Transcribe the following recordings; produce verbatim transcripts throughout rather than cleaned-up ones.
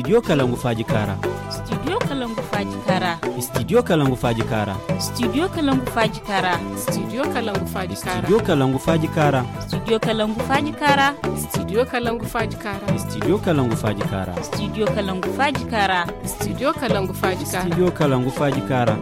Studio Kalangu Faaji Kaara. Studio Kalangu Faaji Kaara. Studio Kalangu Faaji Kaara. Studio Kalangu Faaji Kaara. Studio Kalangu Faaji Kaara. Studio Kalangu Faaji Kaara. Studio Kalangu Faaji Kaara. Studio Kalangu Faaji Kaara. Studio Kalangu Faaji Kaara. Studio Kalangu Faaji Kaara. Studio Kalangu Faaji Kaara. Studio Kalangu Faaji Kaara.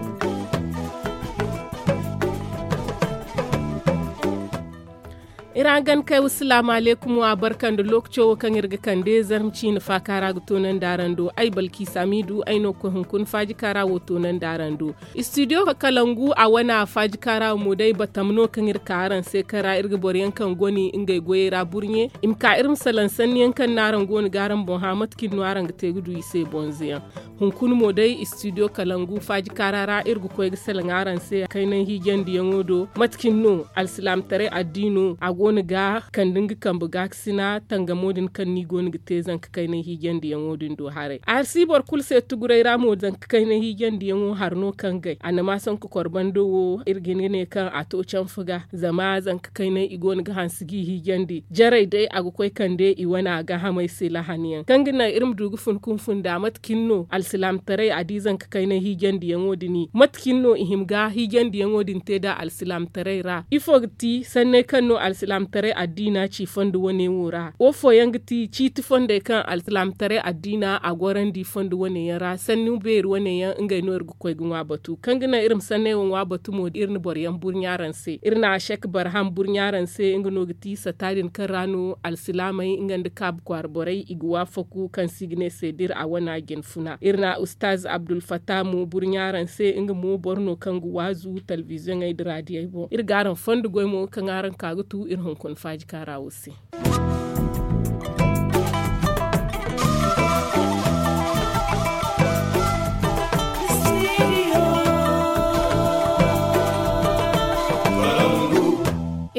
Iri araŋ gana kay, wassalaamu alaykum, wa barka nda lookaco wo kaŋ iri ga kande zarma ciine faaka ra ga toonandi araŋ do. Ay, Balkiisa Hamiidu, ay no ga koy hunkuna faaji kaara wo toonandi araŋ do. Istidiyo Kalangu a wane faaji kaara wo mo day, batam no kaŋ iri ka araŋ se, kaŋ ra iri ga boro yaŋ kaŋ goni ngey goyey ra burɲe, i ma ka iri ma salaŋ sanni yaŋ kaŋ no araŋ go no ga araŋ boŋ hã, mate kaŋ no araŋ ga te ga du i se bonze yaŋ. Hunkuna mo day, istidiyo Kalangu faaji kaara ra iri ga koy ga salaŋ araŋ se kaynaŋ hiijandiyaŋo do. Mate kaŋ no alsilaamataray addiino a go no ga kande nga kambe gaakasina tangamo din kaŋ no i go no ga te zanka kaynaŋ hiijandiyaŋo din do haray. Arsi boro kulu se tuguray ra mo, zanka kaynaŋ hiijandiyaŋo hari no kaŋ gay. Annama sanku korbando wo, iri ga hin ga ne kaŋ a to canfa ga, zama zanka kaynaŋ i go no ga hanse g'i hiijandi. Jarey day a ga koy kande i wane a gaahamey se lahani yaŋ. Kaŋ ga naŋ iri ma du ga fun ka fun nda mate kaŋ no alsilaamataray a di zanka kaynaŋ hiijandiyaŋo din. Mate kaŋ no i hima ga hiijandiyaŋo din te nda alsilaamataray ra? Ifo ga ti sanney kaŋ no alsilaamataray addiina ci fondo wane wo ra? Wo fooyaŋ ga ti ciiti fondey kaŋ alsilaamataray addiina a gorandi fondo wane yaŋ ra? Sanni beeri wane yaŋ, ngey no iri ga koy ga ŋwa batu. Kaŋ ga naŋ iri ma sanney wo ŋwa batu mo, iri na boro yaŋ burɲa araŋ se. Iri na Sek Barham burɲa araŋ se, nga no ga ti sata din kaŋ ra no alsilaamey nga nda kaabu kwaara borey i ga waafaku, kaŋ se i ga ne se d'iri a wana jine funa. Iri na Ustaaz Abdul Fattah mo burɲa araŋ se, nga mo boro no kaŋ ga waazu talbiziyoŋey nda raadiyey boŋ. Iri ga araŋ fondo goy mo kaŋ araŋ ka ga tu iri hunkuna faaji kaara wo se.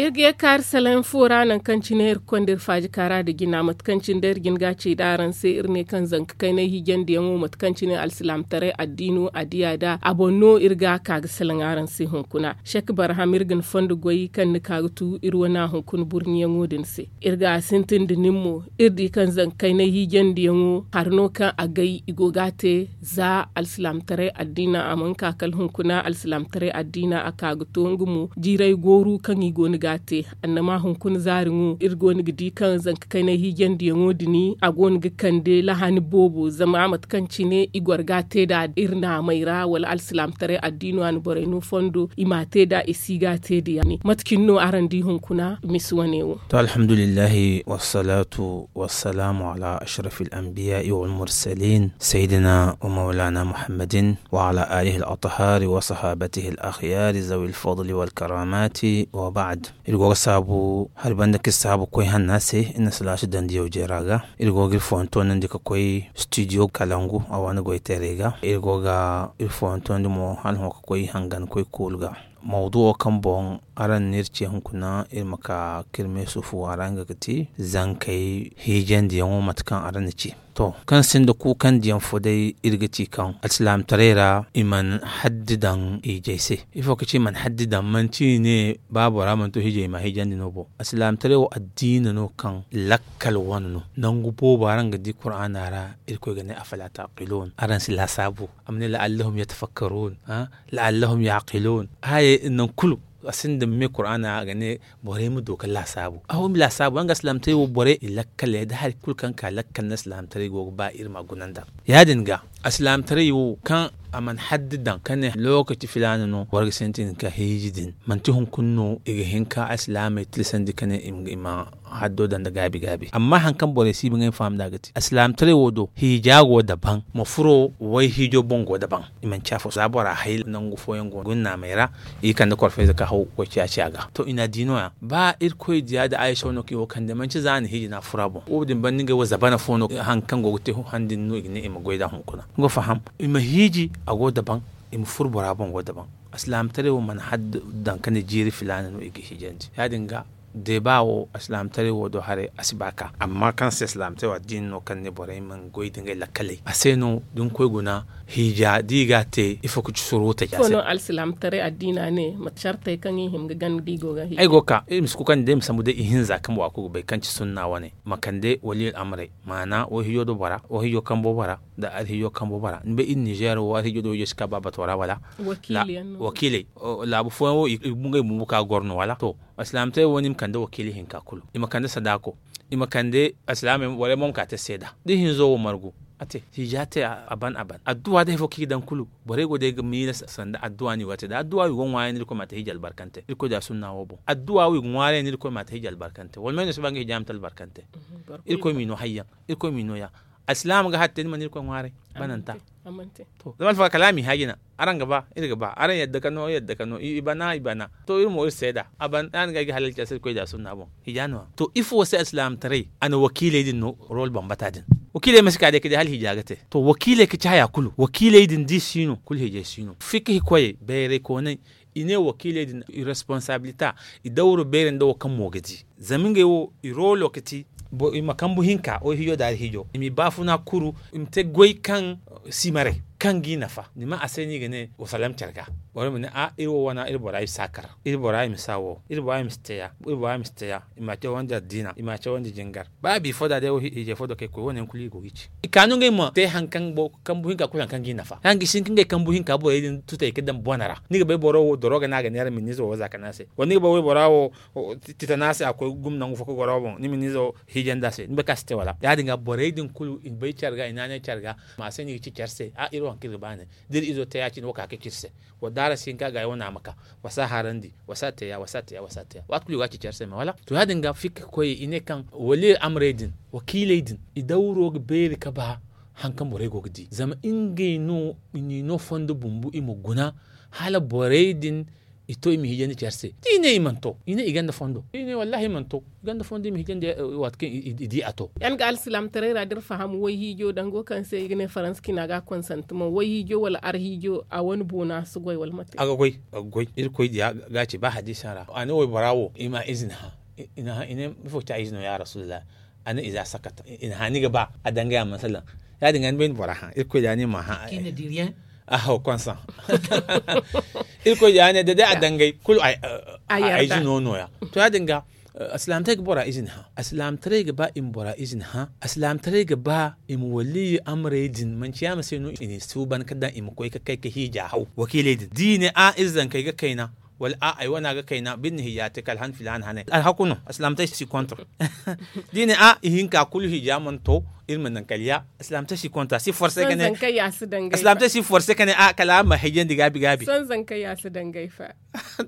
Iri ga ye kaari salaŋ fo ra, nangu kaŋ cine iri ga konda iri faaji kaara nda jina, mate kaŋ cine day iri jin ga a ci nd'a araŋ se, iri ne kaŋ zanka kaynay hiijandiyaŋo, mate kaŋ cine alsilaamataray addiino a diya nd'a, a boŋ no iri ga ka ga salaŋ araŋ se hunkuna. Sek Barham, iri ga ni fondo goy kaŋ ni ka ga tu iri wane hunkuna burɲiyaŋo din se. Iri ga a sintin nda nin mo, iri di kaŋ zanka kaynay hiijandiyaŋo hari no kaŋ a gay i go ga a te, za alsilaamataray addiina a mana ka kala hunkuna, alsilaamataray addiina a ka ga to nga mo jiiray gooru kaŋ i go no ga a te. Annama hunkuna zaari ŋo, iri go no ga di kaŋ zanka kaynay hiijandiyaŋo din, a go no ga kande lahani boobo, zama mate kaŋ cine i goro ga a te nd'a iri naamey ra, wala alsilaamataray addiino a na borey no fondo, i m'a te nd'a, i si ga a te nd'a yaŋ. Mate cine no araŋ di hunkuna misi wane wo? To, alhamdulillahi, wassalatu wassalamu ala ashrafil anbiya'i wal mursalin, sayyidina wa maulana Muhammadin wa ala alihi al-athhari wa sahabatihi al-akhyari zawil fadli wal karamati, wa ba'd. Iri go ga saabu hari banda ka iri saabu koy hanna se, iri na salaasu dandi yawjey ra ga. Iri go ga iri foyanto nandi ka koy studio Kalangu a wane goytaray ga. Iri go ga iri foyanto nandi mo hala hõ ka koy hangan koy koolu ga. Mawduwo kaŋ boŋ araŋ n'iri ce hunkuna, iri ma ka ka iri me sufu a ra, nga ga ti zankey hiijandiyaŋo, mate kaŋ araŋ na ci. To, kaŋ sinda kuukandiyaŋ fo day, iri ga ci kaŋ alsilaamataray ra i mana haddi daŋ hiijay se. Ifo ka ci i mana haddi daŋ? Manti i ne ba bora mana to hiijay i ma hiijandi no bo. Alsilaamataray wo addiina no kaŋ lakkal wane no. Nangu boobo araŋ ga di Kuraana ra, Irkoy ga ne, afala taqilun? Araŋ si laasaabu? A ma ne, la'allahum yatafakkarun, ha? La'allahum yaqilun. Haayey din nangu kulu a sinda me Kuraana a ga ne borey ma du ka laasaabu. Aho, i ma laasaabu, araŋ ga alsilaamataray wo borey i lakkal yaŋ da hari kulu kaŋ ka lakkal no alsilaamataray go ga ba iri ma guna nd'a. Yaadin ga, alsilaamataray wo kaŋ a mana haddi daŋ ka ne lookaci filaana no boro ga sintin ka hiiji din, manti hunkuna no i ga hin ka alsilaamey tilasandi ka ne i ma, i ma haddo daŋ nda gaabi-gaabi. Amma haŋ kaŋ borey si ba ngey ma faham nd'a ga ti, alsilaamataray wo do, hiija go daban, ma furo way hiijo boŋ go daban. I manci afo. Za bora hay nangu fooyaŋ go gunnaamey ra, i kande korfayze ka haw ga koy ciya-ciya ga. To, i n'a di nooya. Ba Irkoy diya da Aysa no kaŋ i wo kande, manci za a na hiiji no a furo a boŋ. Wo-din banda ngey wo zabana fo no, haŋ kaŋ go ga te han din no i ga ne i ma goy nd'a hunkuna. Ni go faham? I ma hiiji, a go daban, i ma furo bora boŋ go daban. Alsilaamataray wo mana haddi daŋ ka ne jiiri filaana no i ga hiijandi. Yaadin ga, Deeba wo alsilaamataray wo do haray a si ba ka amma kaŋ se alsilaamataray wo addiini no kaŋ ne borey ma goy da ngey lakkaley a se no da ni koy guna. Hiija da i ga a te ifo ka ci soro taji a se. Ifo no alsilaamataray addiina ne mate cartey kaŋ i hima ga gana da i go ga hiija? Ay go ga ka iri ma si koy kande day ma sambu day ihinza kaŋ bora kulu ga bay kaŋ ci sunna wane ma kande wali al'amuray maana wayhijo do bora wayhijo kambo bora. Da alhijo kambo bora ni bay iri ninzeer wo alhijo do wayhijo si ka ba bato ra wala? Wakiiley laabu fooyaŋ wo i ga ngey bumbo ka goro no wala to? Alsilaamataray wo no i ma kande wakiili hinka kulu i ma kande sadaako i ma kande alsilaamey borey mo ma ka te seeda da ihinzo wo margu. A te hiija te a ban a ban adduwa day fo kaŋ i ga daŋ kulu borey go day ga miila sanda adduwa no i go ga te da adduwa wo i go ga ŋwaarey no irkoy ma a te hiija albarkante irkoy da sunna wo boŋ adduwa wo i ga ŋwaarey no irkoy ma a te hiija albarkante wala may no si ba nga hiija ma te albarkante. Irkoy m'i no hayyaŋ. Irkoy m'i no ya. Alsilaama ga hari te ni mana irkoy ŋwaaray bananta. Zama alfaga kala a m'i hã jina. Araŋ ga ba iri ga ba araŋ yadda ka no yadda ka no i bana i bana. To iri mo iri seeda a ban ya- din ga ay ga halal care se irkoy da sunna boŋ. Hiija no- ya to ifo se alsilaamataray a na wakiiley din no rol bambata din. Wakiiley ma si ka day ka di hala hiija ga te to wakiiley ka ci haya kulu wakiiley din da i si no kulu hiijay si no fikka hikoyey bayray koonay. I ne wakiiley din i responsabilita i dawro beeri nda wo kaŋ mo ga di. Zama ngey wo i rolo ga ti i ma kambu hinka wayhijo da alhijo i m'i baafuna kuru. I ma te goy kaŋ simaray kaŋ g'i nafa ni ma a se no i ga ne wasalam care ga. Boro ma ne a iri wo wana iri bora i ma si a kar iri bora i ma si a wo iri bora i ma si te ya iri bora i ma si te ya. I m'a cawandi addiina i m'a cawandi jingar ba biifo da day wo hiijay fo do kaŋ ay koy wo- ne yaŋ kulu i go ga i ci. I ka no ngey ma te hari kaŋ kambu hinka kulu hari kaŋ g'i nafa hari kaŋ ga i si hin ka ngey kambu hinka borey din tutay ga daŋ bone ra ni ga bay boro wo doroga no a ga neera miniizo wo za kande a se wala ni ga bay waybora wo titana se a koy gumo nangu fo ka goro boŋ ni miniizo hiijandi a se ni bay kaŋ a si te wala ya- din ga borey din kulu i na bay care ga i naanay care ga. Ma se no i ga ci care se a iri wo hari kaŋ iri ga ba ne da iri izo te ya- cine wo ka ga ci iri se. Wa daara si hin ka gaayi wane a ma ka wa si a haarandi wa si a te ya wa si a te ya wa si a te ya waati kulu i go ga ci care se me wala to ya- din ga fikka koyey i ne kaŋ wali al'amarey din wakiiley din i dawro ga beeri ka ba. Hari kaŋ borey go ga di zama ngey no i n'i no fondo bumbo i ma guna hala borey din i to i ma hiijandi care se da i ne i mana to i ne i gonda fondo i ne wallahi i mana to i gonda fondo i ma hiijandi. Waati kaŋ i di a to. Yaŋ ga alsilaamataray ra da iri faham wayhiijo dango kaŋ se i ga ne faransa cina ga konsantamaŋ wayhiijo wala arhiijo a wane boona si goy wala mate? A ga goy a ga goy irkoy diya ga a ci ba hadiisa ra a ne waybora wo i ma izina hã. I ne ifo ga ci a izino ya rasulillahi? A ne iza sakata i na hã ni ga ba a dangay a mana salaŋ. Ya- din ga ni bay ni bora hã irkoy diya ni ma hã. Aho konsaŋ irkoy diya ne da day a dangay kulu a izino no- ya. To ya- din ga alsilaamataray ga bora izini hã alsilaamataray ga ba i ma bora izini hã alsilaamataray ga ba i ma waliyi amarey din manci yaama se no i n'i suuban ka daŋ i ma koy ka kay ka hiija haw wakiiley din da i ne a iri zankey ga kayna wala a ay wana ga kayna ba iri na hiija te kala han filaana hanay alhaku no alsilaamataray si kontra. Da i ne a ihinka kulu hiija mana to iri ma naŋ kala ya alsilaamataray si kontra si forse ka ne alsilaamataray si forse ka ne a kala a ma hiijandi gaabi gaabi.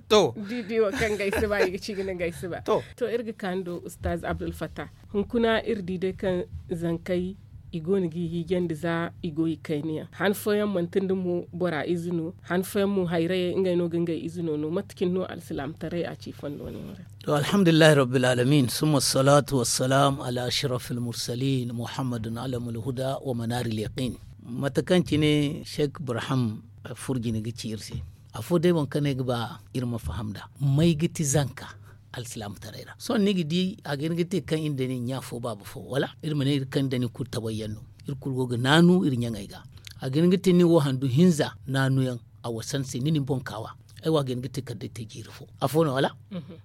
To di di wo kaŋ gay si ba i ga ci ga ne gay si ba to iri ga kaani do ustaz abdulfattah. Hunkuna iri di day kaŋ zankey i go no ga i hiijandi za i go i kayna yaŋ han fooyaŋ manti nda mo bora ize no han fooyaŋ mo hayrayey ngey no ga ngey ize no no mate cine no alsilaamataray a ci fondo no yaŋ ra? To alhamdulillahi rabbil alamin summa salatu wassalam ala ashrafil mursalin muhammadun alamul huda wa manaril yaqin. Mate kaŋ cine sheik burham furjine ga ci iri se afo day waŋ kaŋ no ay ga ba iri ma faham nd'a may ga ti zanka alsilaamataray ra sohõ ni ga di a ga hin ga te kaŋ iri nda ni ɲa fo baaba fo wala iri ma ne iri kaŋ iri nda ni kulu tabayyaŋ no. Iri kulu go ga naanu iri ɲaŋey ga a ga hin ga te ni wo handu hinza naanuyaŋ a wasan se ni na ni boŋ kaawa. Ay wo a ga hin ga te kala day te jiiri fo afo no wala?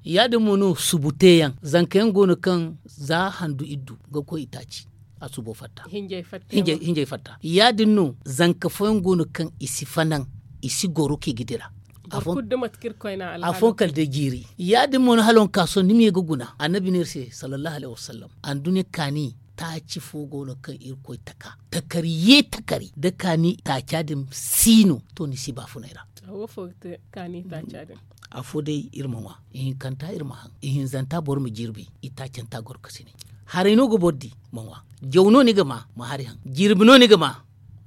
Ya- din mo no subu teeyaŋ zanka yaŋ go no kaŋ za handu iddu ga koy itaaci a subo fatta. Hinjey fatta ya- din no zanka fooyaŋ go no kaŋ i si fanaŋ i si goro kaŋ i ga dira. Afooyaŋ kala day jiiri ya- din mo no hala waŋ ka sohõ ni ma ye ga guna annabi ne iri se sallallahu alayhi wasallam anduɲɲa kaani taaci fo go no kaŋ irkoy taka takari ye takari da kaani taaca din si no to ni si baafunay ra. Afo day iri ma ŋwa ihinkanta iri ma haŋ ihinzanta boro ma jirbi itaacanta goro ka sine. Haray no ga boro di ma ŋwa jaw no ni ga ma ma hari haŋ jirbi no ni ga ma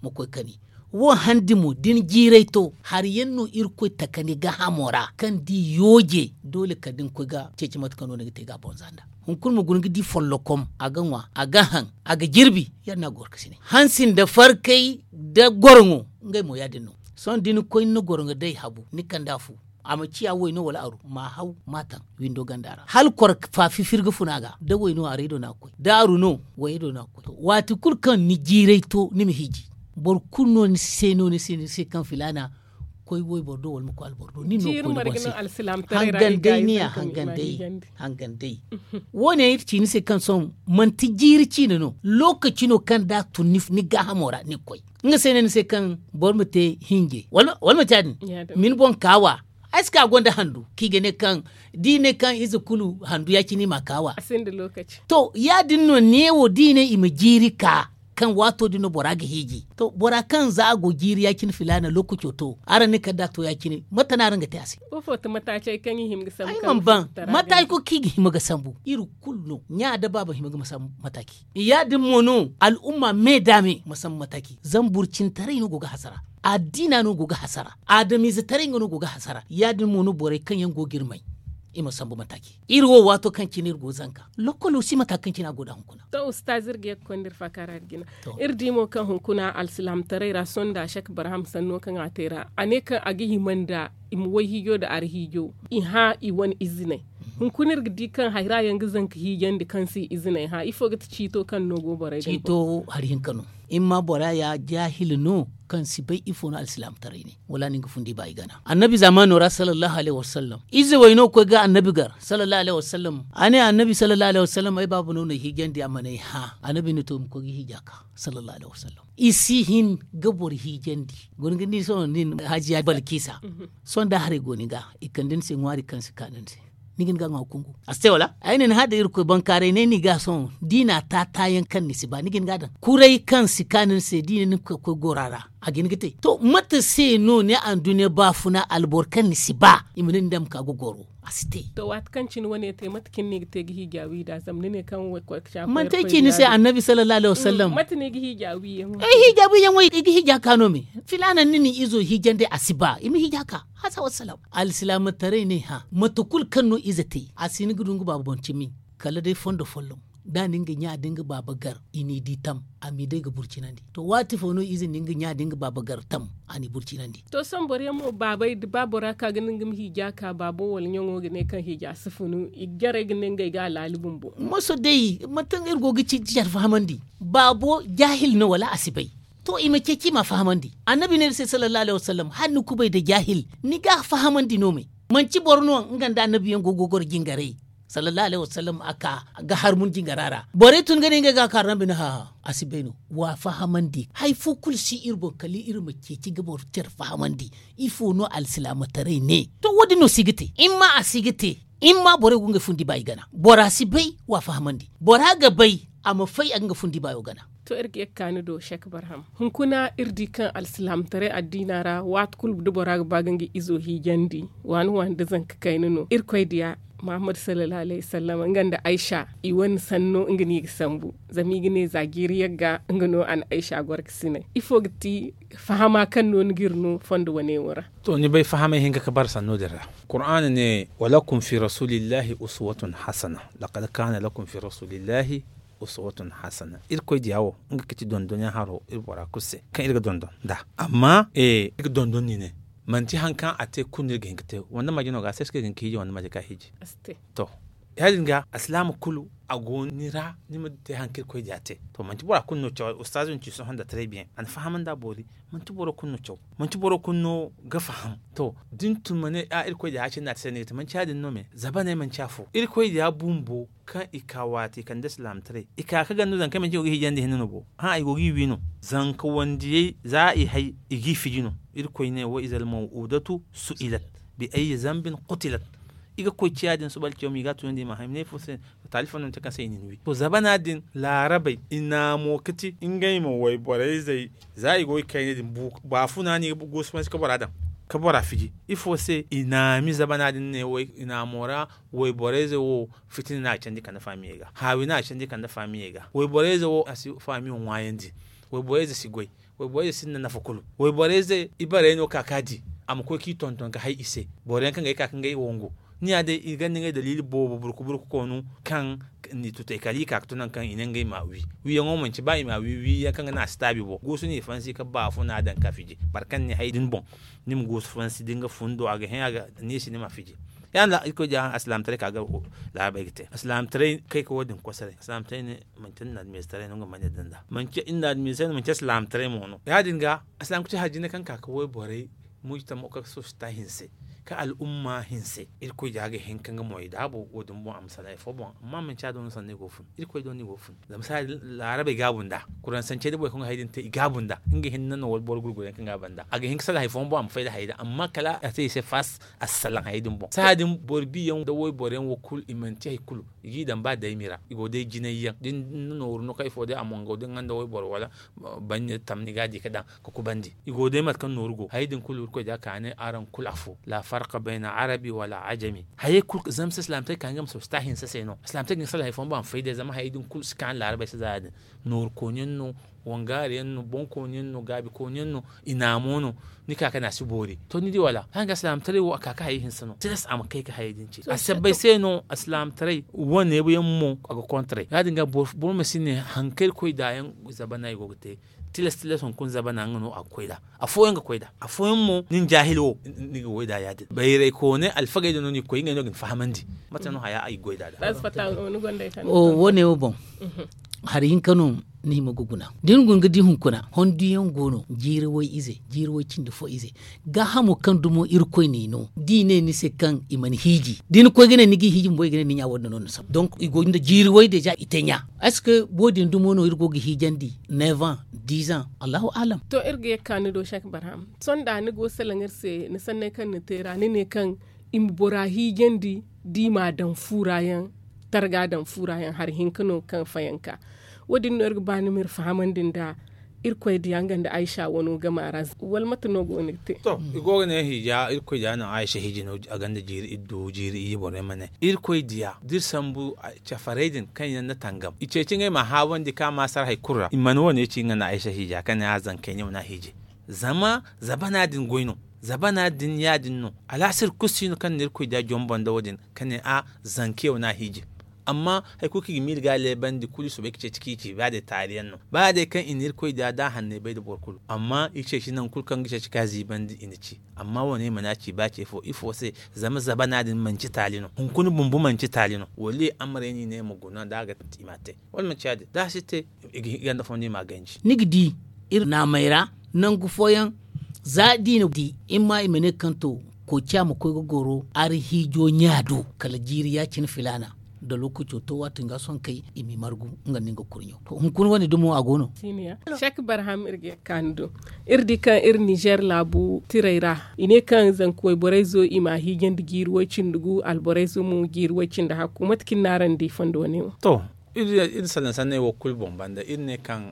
ma koy kani. Wo handi mo da ni jiiray to hari yaŋ no irkoy taka ni gahamo ra kaŋ da i yooje doole kala da ni koy ga ceeci mate kaŋ no ni ga te ga a bonza nda hunkuna ma guna ga di follokom a ga ŋwa a ga haŋ a ga jirbi. Ya- din no a ga goro ka sine hansi nda farkay da goroŋo ngey mo ya- din no. Sohõ da ni koy ni na goroŋo day habu ni kand'a fu A ma ciya way no wala aru ma haw ma taŋ windo ganda ra hala kor faafi firga funa ga da way no aray do no a ga koy da aru no way do no a ga koy. Waati kulu kaŋ ni jiiray to ni ma hiiji boro kulu no ni se no ni se kaŋ filaana koy wayboro do wala ma koy alboro do nin no koy ni boŋ se. Hangan day ni ya hangan day. Hangan day wo- ne iri ci ni se kaŋ sohõ manti jiiri ciine no lookaci no kaŋ da a tun ni gaahamo ra ni ga koy. Nga se ne ni se kaŋ boro ma te hinje wala manti ya- din ma ni boŋ kaawa. Ay si ka gonda handu kaŋ i ga ne kaŋ da i ne kaŋ ize kulu handu ya- cine i ma a kaawa. To ya- din no neewo da i ne i ma jiiri ka kaŋ waato din no bora ga hiiji to bora kaŋ za a go jiiri ya- cine filaana lookaco to araŋ ne kala da a to ya- cine mate no araŋ ga te a se? Ay mana ban mataaci kulu kaŋ i ga hima ga sambu iri kulu no ɲa da baaba hima ga ma sambu mataaci. Ya- din mo no al'umma me da me ma sambu mataaci zama burcintaray no go ga hasara. Addiina no go ga hasara. Adamiizetaray nga no go ga hasara ya- din mo no borey kaŋ yaŋ go ga iri may i ma sambu mataaci. Iri wo waato kaŋ cine iri go ga zanka lokkolo si mata kaŋ cine a go nd'a hunkuna. To ustaaz iri ga ye ga konda iri faakaara ga jina. Iri di mo kaŋ hunkuna alsilaamataray ra sohõ nda shek barham sanno kaŋ a te ra a ne kaŋ a ga hima nda i ma wayhiijo nda arhiijo i hã i wane iziney. Hunkuna iri ga di kaŋ hayra yaŋ ga zanka hiijandi kaŋ se i iziney hã ifo ga ti ciito kaŋ no go borey ga ciito hari hinka no. Imma bora ya jaahil no kaŋ si bay ifo no alsilaamataray ne wala nin ga fundi ba i gana annabi zaamaano ra sallallahu alayhi wasallam. Ize way no ga koy ga annabi gar sallallahu alayhi wasallam. A ne annabi sallallahu alayhi wasallam ay baaba no na hiijandi a mana ay hã annabi ne to ma koy ga hiija ka sallallahu alayhi wasallam. I si hin ga boro hiijandi. Guna ga ni sohõ nin haajiya balkiisa. Sohõ da haray go ni ga i kande ni se ŋwaari kaŋ si ka ni se. Ni ga ni ga ŋwa kungu a si te wala ay ne ni hã da irkoy bankaaray ne ni ga sohõ da i na a taataayaŋ kaŋ ni si ba ni ga ni ga daŋ kuray kaŋ si ka ni se da i ne ni ga koy gora ra. A ga hin ga te to mate se no ni anduɲɲa baafuna alboro kaŋ ni si ba i ma ne ni daŋ ma ka ga goro a si te. To waati kaŋ cine wane te mate cine no i ga te ga hiija wi nd'a zama ni ne kaŋ way koy ga caakay manti ay ci ni se annabi sallallahu alayhi wasallam. Mate no i ga hiija wi yaŋ ay hiija wi yaŋ way i ga hiija ka no me. Filaana ni na izo hiijandi a si ba i ma hiija ka hasa wassalam. Alsilaamataray ne hã mate kulu kaŋ no ize te a si hin ga du nga baaba boŋ cimi. Kala day fondo folloŋ da ni nga ɲa da nga baaba gar i n'i di tam a m'i day ga burcinandi. To waati fo no ize na nga ɲa da nga baaba gar tam a n'i burcinandi. To sohõ boro yaŋ mo baabey da ba bora ka ga nin ga ma hiija ka baabo wala ɲaŋo ga ne kaŋ hiija si funu i jarey ga ne ngey ga a laali bumbo. Moso day manti kaŋ iri go ga ci care fahamandi baabo jaahil no wala a si bay. To i ma ceeci i m'a fahamandi. Annabi ne iri se sallallahu alayhi wasallam hala ni kubay nda jaahil ni ga a fahamandi no me. Manti boro no nga nda annabiyaŋ go ga goro jingaray sallallahu alayhi wasallam a ka ga harmun jingara ra. Borey tun ga ne ngey ga a kaaru no a ma ne hã a si bay no. W'a fahamandi hari fo kulu si iri boŋ kala iri ma ceeci ga boro care fahamandi. Ifo no alsilaamataray ne to wo- din no si ga te imma a si ga te. Imma borey go ngey fundi baayo gana bora si bay w'a fahamandi. Bora ga bay a ma fay a ga nga fundi baayo gana. To iri ga ye ga ka ni do shek barham hunkuna iri di kaŋ alsilaamataray addiina ra waati kulu da bora ga ba ga nga izo hiijandi waani waani da zanka kayna no irkoy diya. Muhammad sallallahu alayhi wasallam nga nda aysa i wane sanno nga no i ga sambu. Zama i ga ne za jiiri yagga nga no a na aysa goro ga sinay ifo ga ti fahama kaŋ no ni ga iri no fondo wane wo ra? To ni bay fahamay hinka ga bara sanno din ra. Qur'aana ne walakum fi rasulillahi uswatun hasana. Laqad kana lakum fi rasulillahi uswatun hasana. Irkoy diya wo nga ga ci dondonyaŋ haro iri bora kulu se kaŋ iri ga dondon nd'a. Amma iri ga dondon no i ne manti hari kaŋ a te kulu no iri ga hin ga te wande maje no ga a se ay si ka iri ga hin ga hiiji wande maje ga a hiiji. To ya- din ga alsilaama kulu a go ni ra ni ma te hari kaŋ irkoy diya te. To manti bora kulu no caw ustaazu din ci sohõ nda taray biyaŋ a na fahamandi a boori. Manti boro kulu no caw manti boro kulu no ga faham. To da ni tun ma ne a irkoy diya ya- cine no a te se ni ga te manti ya- din no me zabaney manti afo irkoy diya bumbo kaŋ i ka waati i kande silaamataray i ka ga ganda no zanka manti i go ga hiijandi hinne no bo. Hã i go ga i wi no zanka wandiyey za i hay i g'i fiji no. Irkoy ne wa iza almaw'uudatu su'ilat bi ayyi zanbin qutilat. I ga koy ciya din suba alciyawma i ga a tunandi i ma hã i ma ne ifo se? Taali fo no manti kaŋ se i na ni wi to zabana din laarabey i naamo ga ti ngey ma wayborey zey za i go i kayna din baafuna no i ga guusu fansi ka bora daŋ ka bora fiji. Ifo se i naami zabana din ne i naamo ra wayborey zey wo fitina no a candi kande faamiyey ga haawi no a candi kande faamiyey ga wayborey zey wo a si faamiyo ŋwaayandi. Wayborey zey si goy. Wayborey zey sinda nafa kulu. Wayborey zey ibarey no ka ka di a ma koy k'i tonton ga hay i se. Boro yaŋ kaŋ ga ay ka ka ngey wangu ni ya day i ganda ngey daliili boobo burku burku koonu kaŋ n'i tutay kala i ka ga tun nangu kaŋ i ne ngey ma a wi. Wiyaŋo manci ba i ma a wi wiyaŋ kaŋ ga naŋ a si taabi boŋ goosu no i fansi ka baafuna daŋ ka fiji. Boro kaŋ ne hay din boŋ ni ma goosu fansi da nga fundo a ga hẽ a ga neesi ni ma fiji. Ya- din ra irkoy diya alsilaamataray ka ga laarabey ga te alsilaamataray kay ka wo- din kosoray alsilaamataray ne manci nda admiistaray no nga ma ne daŋ nd'a manci nda admiistaray no manci alsilaamataray mo no ya- din ga alsilaamataray hari jine kaŋ ka ga wayborey mujtama ka sosta hinse ka al'umma hinse. Irkoy diya ga hin ka nga moy daabo wo- din boŋ a ma salaŋ hari fo boŋ amma manci a do no sanno i go ga fun irkoy do no i go ga fun. Zama saaya din laarabey gaabu nd'a kuraŋ sancey da borey kaŋ ga hari din te i gaabu nd'a nga hinne no wala boro gurgurayaŋ kaŋ ga a banda a ga hin ka salaŋ hari fooyaŋ boŋ a ma fay da hari din amma kala a te i se faas a si salaŋ hari din boŋ saaya din boro biyaŋ da wayboroyaŋ wo kulu i manti hari kulu i g'i daŋ ba daymi ra i go day jinay yaŋ da ni na nooru no kaŋ ifo day a mongo da ni gonda wayboro wala banya tamni ga a di ka daŋ ka kubandi. I go day mate kaŋ nooru go hari din kulu irkoy da ka ne araŋ kulu afo la farka bayna arabi wala ajami. Hayey kulu zama se silaamataray ka nga ma sosta hinsa se no silaamataray ga ni salaŋ hari fooyaŋ boŋ a ma fay day zama hayey din kulu si ka ni laarabey se za ya- din. Nooru kooni yaŋ no, wangaari yaŋ no boŋ kooni yaŋ no gaabi kooni yaŋ no, i naamo no. Ni ka kaŋ a si boori to ni di wala hanga alsilaamataray wo a ka ka hayey hinsa no tilas a ma kay ka hayey din ce a sabbay se no alsilaamataray wane yaŋ mo a ga kontaray ya- din ga boro ma si ne hari kaŋ irkoy da yaŋ zabana i go ga te. Tilas tilas hunkuna zabana nga no a ga koy nd'a. Afooyaŋ ga koy nd'a afooyaŋ mo nin jaahil wo ni ga goy nd'a ya- din bayray koone alfagey din no ni ga koy ngey no ga ni fahamandi. Mate no haya ay ga goy nd'a nd'a. Wo- ne wo boŋ hari hinka no ni hima ga guna da ni guna ga di hunkuna honduyaŋ go no jiiri way ize jiiri way cindi fo ize. Gaahamo kaŋ dumo irkoy n'i no da i ne ni se kaŋ i mana hiiji da ni koy ga ne ni g'i hiiji bumbo i ga ne ni ɲa wo- din no ni saba donk i go nda jiiri way deeza i te ɲa. Est ce que wo- din dumo no iri go ga hiijandi neuf ans dix ans allahu aalam. To iri ga ye ga ka ni do sek barham sohõ da ni go ga salaŋ iri se ni sanney kaŋ ni te ra ni ne kaŋ i ma bora hiijandi da i m'a daŋ fu ra yaŋ targa daŋ fu ra yaŋ hari hinka no kaŋ fayanka. Wo- din no iri ga ba ni ma iri fahamandi nd'a. Irkoy diya nga nda aysa wano game a ra wala mate no go no ga te? To i go ga ne hiija irkoy diya no aysa hiiji no a gonda jiiri iddu jiiri iyye borey ma ne irkoy diya da iri sambu cafarey din kaŋ yaŋ na tangam i ceeci ngey ma haawandi kaŋ a ma sara hari kulu ra i mana wo- ne ci nga nda aysa hiija kaŋ ne a zankey ne wane a hiije. Zama zabana din goy no. Zabana din ya- din no alaasir kulu si no kaŋ na irkoy diya jombo nda wo- din ka ne a zankeyaŋ no a hiije. Amma hari kulu kaŋ i ga miila ga a leebandi kulu i soobay ga ceeci kaŋ i ci ba day taali yaŋ no ba day kaŋ i na irkoy da da a hanney bay nda boro kulu amma i ceeci nangu kulu kaŋ ga ceeci ka ziibandi i na ci. Amma wo- ne i mana ci ba ce fo ifo se? Zama zabana din manci taali no hunkuna bumbo manci taali no wala i amare no i ne i ma guna da a ga te i m'a te wala manci ya- din da a si te i ganda fo no i m'a ganji. Ni ga di iri naamey ra nangu fooyaŋ za da i na di i ma i ma ne kaŋ to koociya ma koy ga goro ari hiijo ɲa do kala jiiri ya- cine filaana. Da lookaco to waati nga sohõ kay i m'i margu nga nda nga kurɲo to hunkuna wane dumo a go no. Sek barham iri ga ye ga ka ni do iri di kaŋ iri nizer laabu tirey ra i ne kaŋ zanka wayborey zo i m'a hiijandi jiiri way-cindi gu alborey zo mo jiiri way-cindi hakku mate kaŋ iri n'araŋ di fondo wane wo? To iri salaŋ sanney wo kulu boŋ banda iri ne kaŋ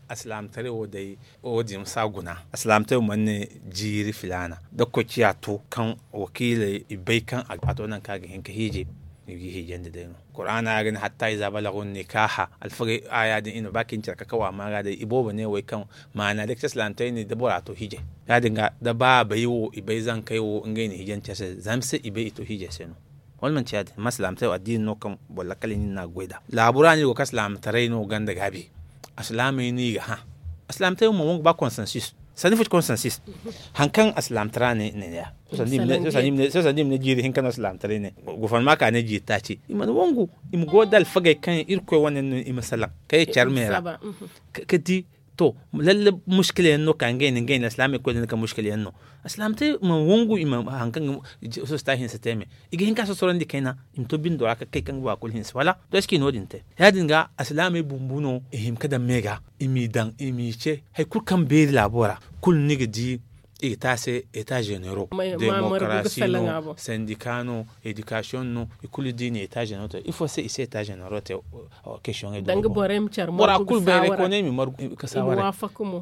alsilaamataray wo day wo- din si a guna. Alsilaamataray wo mana ne jiiri filaana da koociya to kaŋ wakiiley i bay kaŋ a to nangu kaŋ a ga hin ka hiije. I g'i hiijandi day no kuraana ya ga ne hatta iza balagu nikaaha alfagey aaya din i na ba kaŋ i na care kakawa ma ga day i boobo ne wo ay kaŋ maana day kaci alsilaamataray ne da bora to hiijay. Ya- din ga da ba a bay wo i bay zankey wo ngey na hiijandi care se zama se i bay i to hiijay se no. Wala manti ya- din amma alsilaamataray wo addiini no kaŋ boro lakkal nin no a ga goy nd'a laabu ra no i go ga ka alsilaamataray no ganda gaabi. Alsilaamey no i ga hã. Alsilaamataray wo mana wangu ba konsansis. Sanni fo ti konsansis. Hari kaŋ alsilaamataray ne ne ya sohõ sanda i ma ne jiiri hinka no alsilaamataray ne. Gofornama ka ne jiiri taaci i mana wangu. I ma go nda alfagey kaŋ irkoy wane no i ma salaŋ kay care me ra. Ka di to lalle muskila yaŋ no ka ngey ne ngey ne alsilaamey koy da ni ka muskila yaŋ no. Alsilaamataray ma wangu i ma hari kaŋ ga soso ta hinsa te me. I ga hin ka sosorandi kayna i ma to bindo ra ka kay kaŋ ga ba kulu hinsa wala? To est ce que i no- din te ya- din ga alsilaamey bumbu no i hima ka daŋ me ga i m'i daŋ i m'i ce hari kulu kaŋ beeri laabo ra. Kulu ni ga di i ga te a se eta zenero, demokarasi no, sandika no, edikasiyoŋ no, i kulu da i na eta zenero te ifo se i si eta zenero te? Kesiyoŋey do bora kulu bayray kooney i ma margu ka saaware.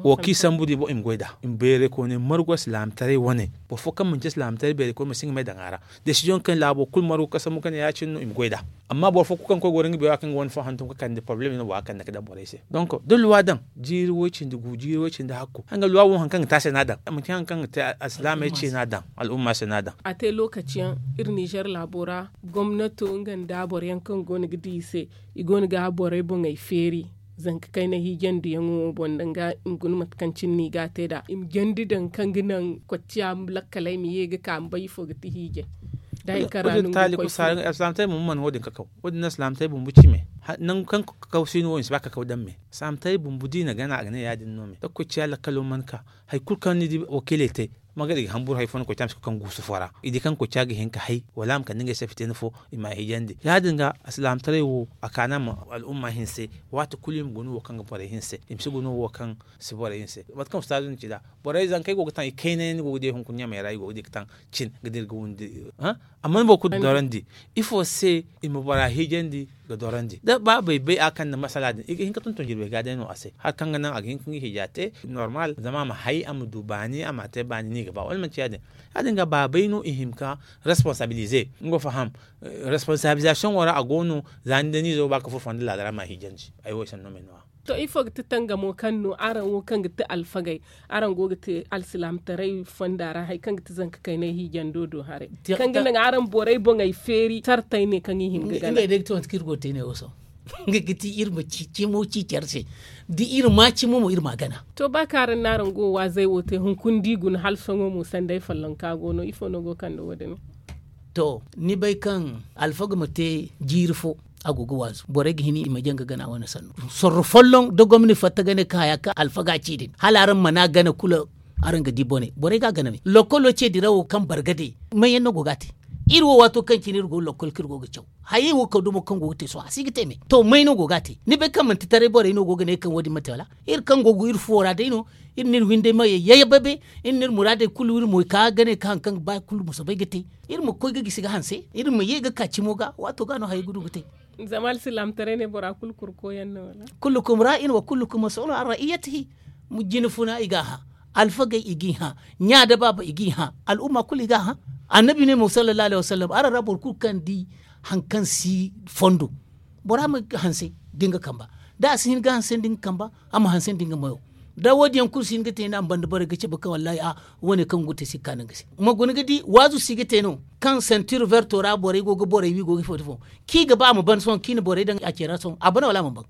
Wo kaŋ i sambu di boŋ i ma goy nd'a i ma bayray kooney margu alsilaamataray wane. Boro fo kaŋ manci alsilaamataray bayray kooney ma si nga may daŋ a ra. Desiziyoŋ kaŋ laabo kulu margu ka sambu ka ne ya- cine no i ma goy nd'a. Amma boro fo kulu kaŋ koy goro nga beero ra kaŋ ga wane fo hantum ka kande porobalem no bora kande ka daŋ borey se. Donk da luwa daŋ jiiri way-cindi gu jiiri way-cindi hakku hari nga luwa wo hari kaŋ ga te a se no a daŋ manci hari kaŋ ga te alsilaamey ce no a daŋ. Al'umma se no a daŋ. A te lookaci yaŋ iri ninzeer laabo ra gomnato nga nda boro yaŋ kaŋ go no ga di i se, i go no ga borey boŋey feeri zanka kayna hiijandi yaŋo boŋ danga i ma guna mate kaŋ cine no i ga a te nd'a i ma jandi daŋ kaŋ ga naŋ kocciya lakkaley ma ye ga ka ma bay ifo ga ti hiijay. Da hari kaŋ ra no nga koy fo. Alsilaamataray bumbo mana wo- din kakaw. Wo- din no alsilaamataray bumbo ci me. Nangu kaŋ kakaw si no wo i si ba kakaw daŋ me. Alsilaamataray bumbo da i na gana a ga ne ya- din no me da kocciya lakkalo mana ka. Hari kulu kaŋ ni di wakiiley te, magari ga hamburu hari fo no koy te a ma si koy kaŋ guusu fo ra. I di kaŋ koy te a ga hin ka hay wala a ma kande ngey se fitina fo, i ma a hijandi ya- din ga. Alsilaamataray wo a kaana ma al'umma hinse. Waati kulu i ma guna wo kaŋ ga borey hinse, i ma si guna wo kaŋ si borey hinse. Mate kaŋ ustaazu na ci nd'a, borey zankey go ga taŋ i kayna yaŋ ni go ga di hunkuna ɲamey ra i go ga di ga taŋ cin ga dira ga windi. Amma ni boro kulu ga dorandi ifo se i ma bora hijandi ga dorandi da ba bay bay a kaŋ nda masala din i ga hin ga tonton jirbey ga day no a se hari kaŋ ga naŋ a ga hin ga nga hija te normal zama a ma hay a ma du baani a ma te baani no i ga ba wala manti ya- din. Ya- din ga baabey no i hima ka responsabilize nga faham. Responsabilizasiyoŋo ra a go no za ni day no izo ga ba ga furo fonda laada ra ma a hijandi. Ay wo ay sanno me no- ya. To ifo ga ti tangamo kaŋ no araŋ wo kaŋ ga ti alfagey, araŋ go ga te alsilaamataray fonda ra hari kaŋ ga ti zanka kaynay hiijando do haray, kaŋ ga naŋ araŋ borey boŋey feeri sartey ne kaŋ i hin ga gana. Ngey day ga ti mate kaŋ iri go ga te ne wo sohõ. Nga ga ti iri ma ci cimo ci care se. Da iri ma cimo mo iri ma a gana. To ba kaŋ araŋ no araŋ go ga waazey wo te hunkuna da i guna hala sohõ mo sanday follonka go no ifo no go ga kande wo- din? To ni bay kaŋ alfaga ma te jiiri fo, a go ga waazu borey ga hin i ma jaŋ ga gana wane sannu. Sorro folloŋ da gomni fatta gane ka haya kaŋ alfaga ci din hala araŋ mana gana kulu. Araŋ ga di bone borey ga a gana me lokolo ce dirawo kaŋ bargade. Manyaŋ no go ga a te. Iri wo waato kaŋ cine iri go ga lokol kaŋ iri go ga caw hayey wo kaŋ dumo kaŋ go ga te sohõ a si ga te me to may no go ga a te ni bay kaŋ manti taray borey no go ga ne kaŋ wo- din ma te wala? Iri kaŋ go ga iri fuwo ra day no. Iri no iri windey ma yayyababe. Iri no iri muraadey kulu iri mo i ka ga ne kaŋ hari kaŋ ga ba kulu ma soobay ga te. Iri ma koy ga gisi ga hanse iri ma ye ga ka cimo ga waato ga no hayey ga du ga te. Zama alsilaamataray ne bora kulu kurko yaŋ no wala? Kullukum ra'in wa kullukum mas'ulun an ra'iyatihi. Jina funa i ga a hã. Alfagey i g'i hã. Ɲa da baaba i g'i hã. Al'umma kulu i ga a hã. Annabi ne mo sallallahu alaihi wasallam araŋ ra boro kulu kaŋ di hari kaŋ si fondo. Bora ma hanse da nga kamba. Da a si hin ga hanse da nga kamba a ma hanse da nga mayo. Da wo- din yaŋ kulu si hin ga te ni a ma banda borey ga cabe kaŋ wallahi a wane kaŋ go ga te si ga kaanu nga se. Ma guna ga di waazu si ga te no kaŋ sentir verto ra borey go ga borey wi go ga ifo da ifo. Kaŋ i ga ba a ma ban sohõ kaŋ i na borey daŋ a ce ra sohõ a ban wala a mana ban?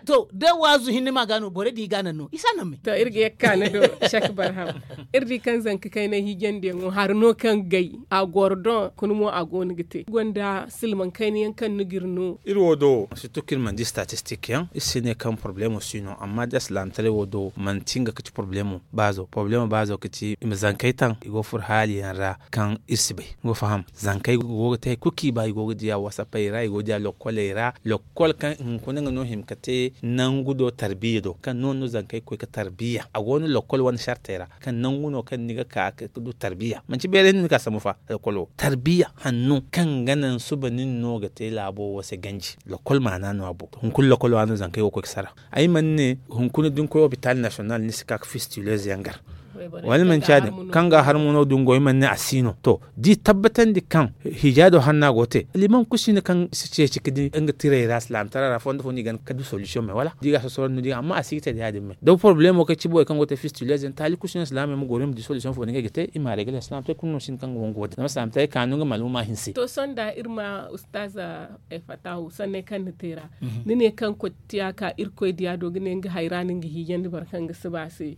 To da waazu hinne ma ga no borey din i ga a naŋ no i si a naŋ me. To iri ga ye ga kaanu do. Sek barham. Iri di kaŋ zanka kaynay hiijandiyaŋo hari no kaŋ gay a goro doŋ kuna mo a go no ga te gonda silmaŋ kayna yaŋ kaŋ no ga iri no. Iri wo do surtout kaŋ iri mana di statistik yaŋ iri si ne kaŋ poroblemo si no amma da alsilaamataray wo do manti nga ga ti poroblemo baazo poroblemo baazo ga ti i ma zankey taŋ i go ga furo haali yaŋ ra. Kaŋ iri si bay ni go ga faham zankey go ga te hari kulu kaŋ i ba i go ga diya wasapey ra i go ga diya lokkoley ra. Lokkol kaŋ hunkuna nga no hima ga te nangu do tarbiya do kaŋ no no zankey ga koy ga tarbiya a go no lokkol wane sartey ra kaŋ nangu no kaŋ ni ga ka ga du tarbiya manti beeray no ni ga a sambu fa. Lokkolo tarbiya hanno kaŋ ga naŋ suba nin no ga te laabo wo se ganji. Lokkol maana no a boŋ hunkuna lokkolo ra no zankey go ga koy ga sara. Ay mana ne hunkuna da ni koy hopital nasiyonal ni si ka ga fistileez yaŋ gar. Wala manti ya- din kaŋ ga a har mo no dungo ay mana ne a si no to da i tabbatandi kaŋ hijaado hanna go ga te liman kulu si no kaŋ si ceeci ga di nga tirey ra silaamataray ra fondo fo no i gana ga du solution me wala da i ga a sosoro no di ga amma a si ga te da ya- din me da poroblemo kaŋ ci borey kaŋ go ga te fistileez yaŋ taali kulu si no silaamey ma goro i ma di solution fo no ngey ga te i ma a regle silaamataray kulu no si no kaŋ ga wangu wo- din zama silaamataray ka no nga maluma hinse. To sohõ da iri ma ustaaza fatahu sanney kaŋ ni te ra ni ne kaŋ koy tiya ka irkoy diya do ga ne nga hayra no nga hiijandi boro kaŋ ga si ba a se.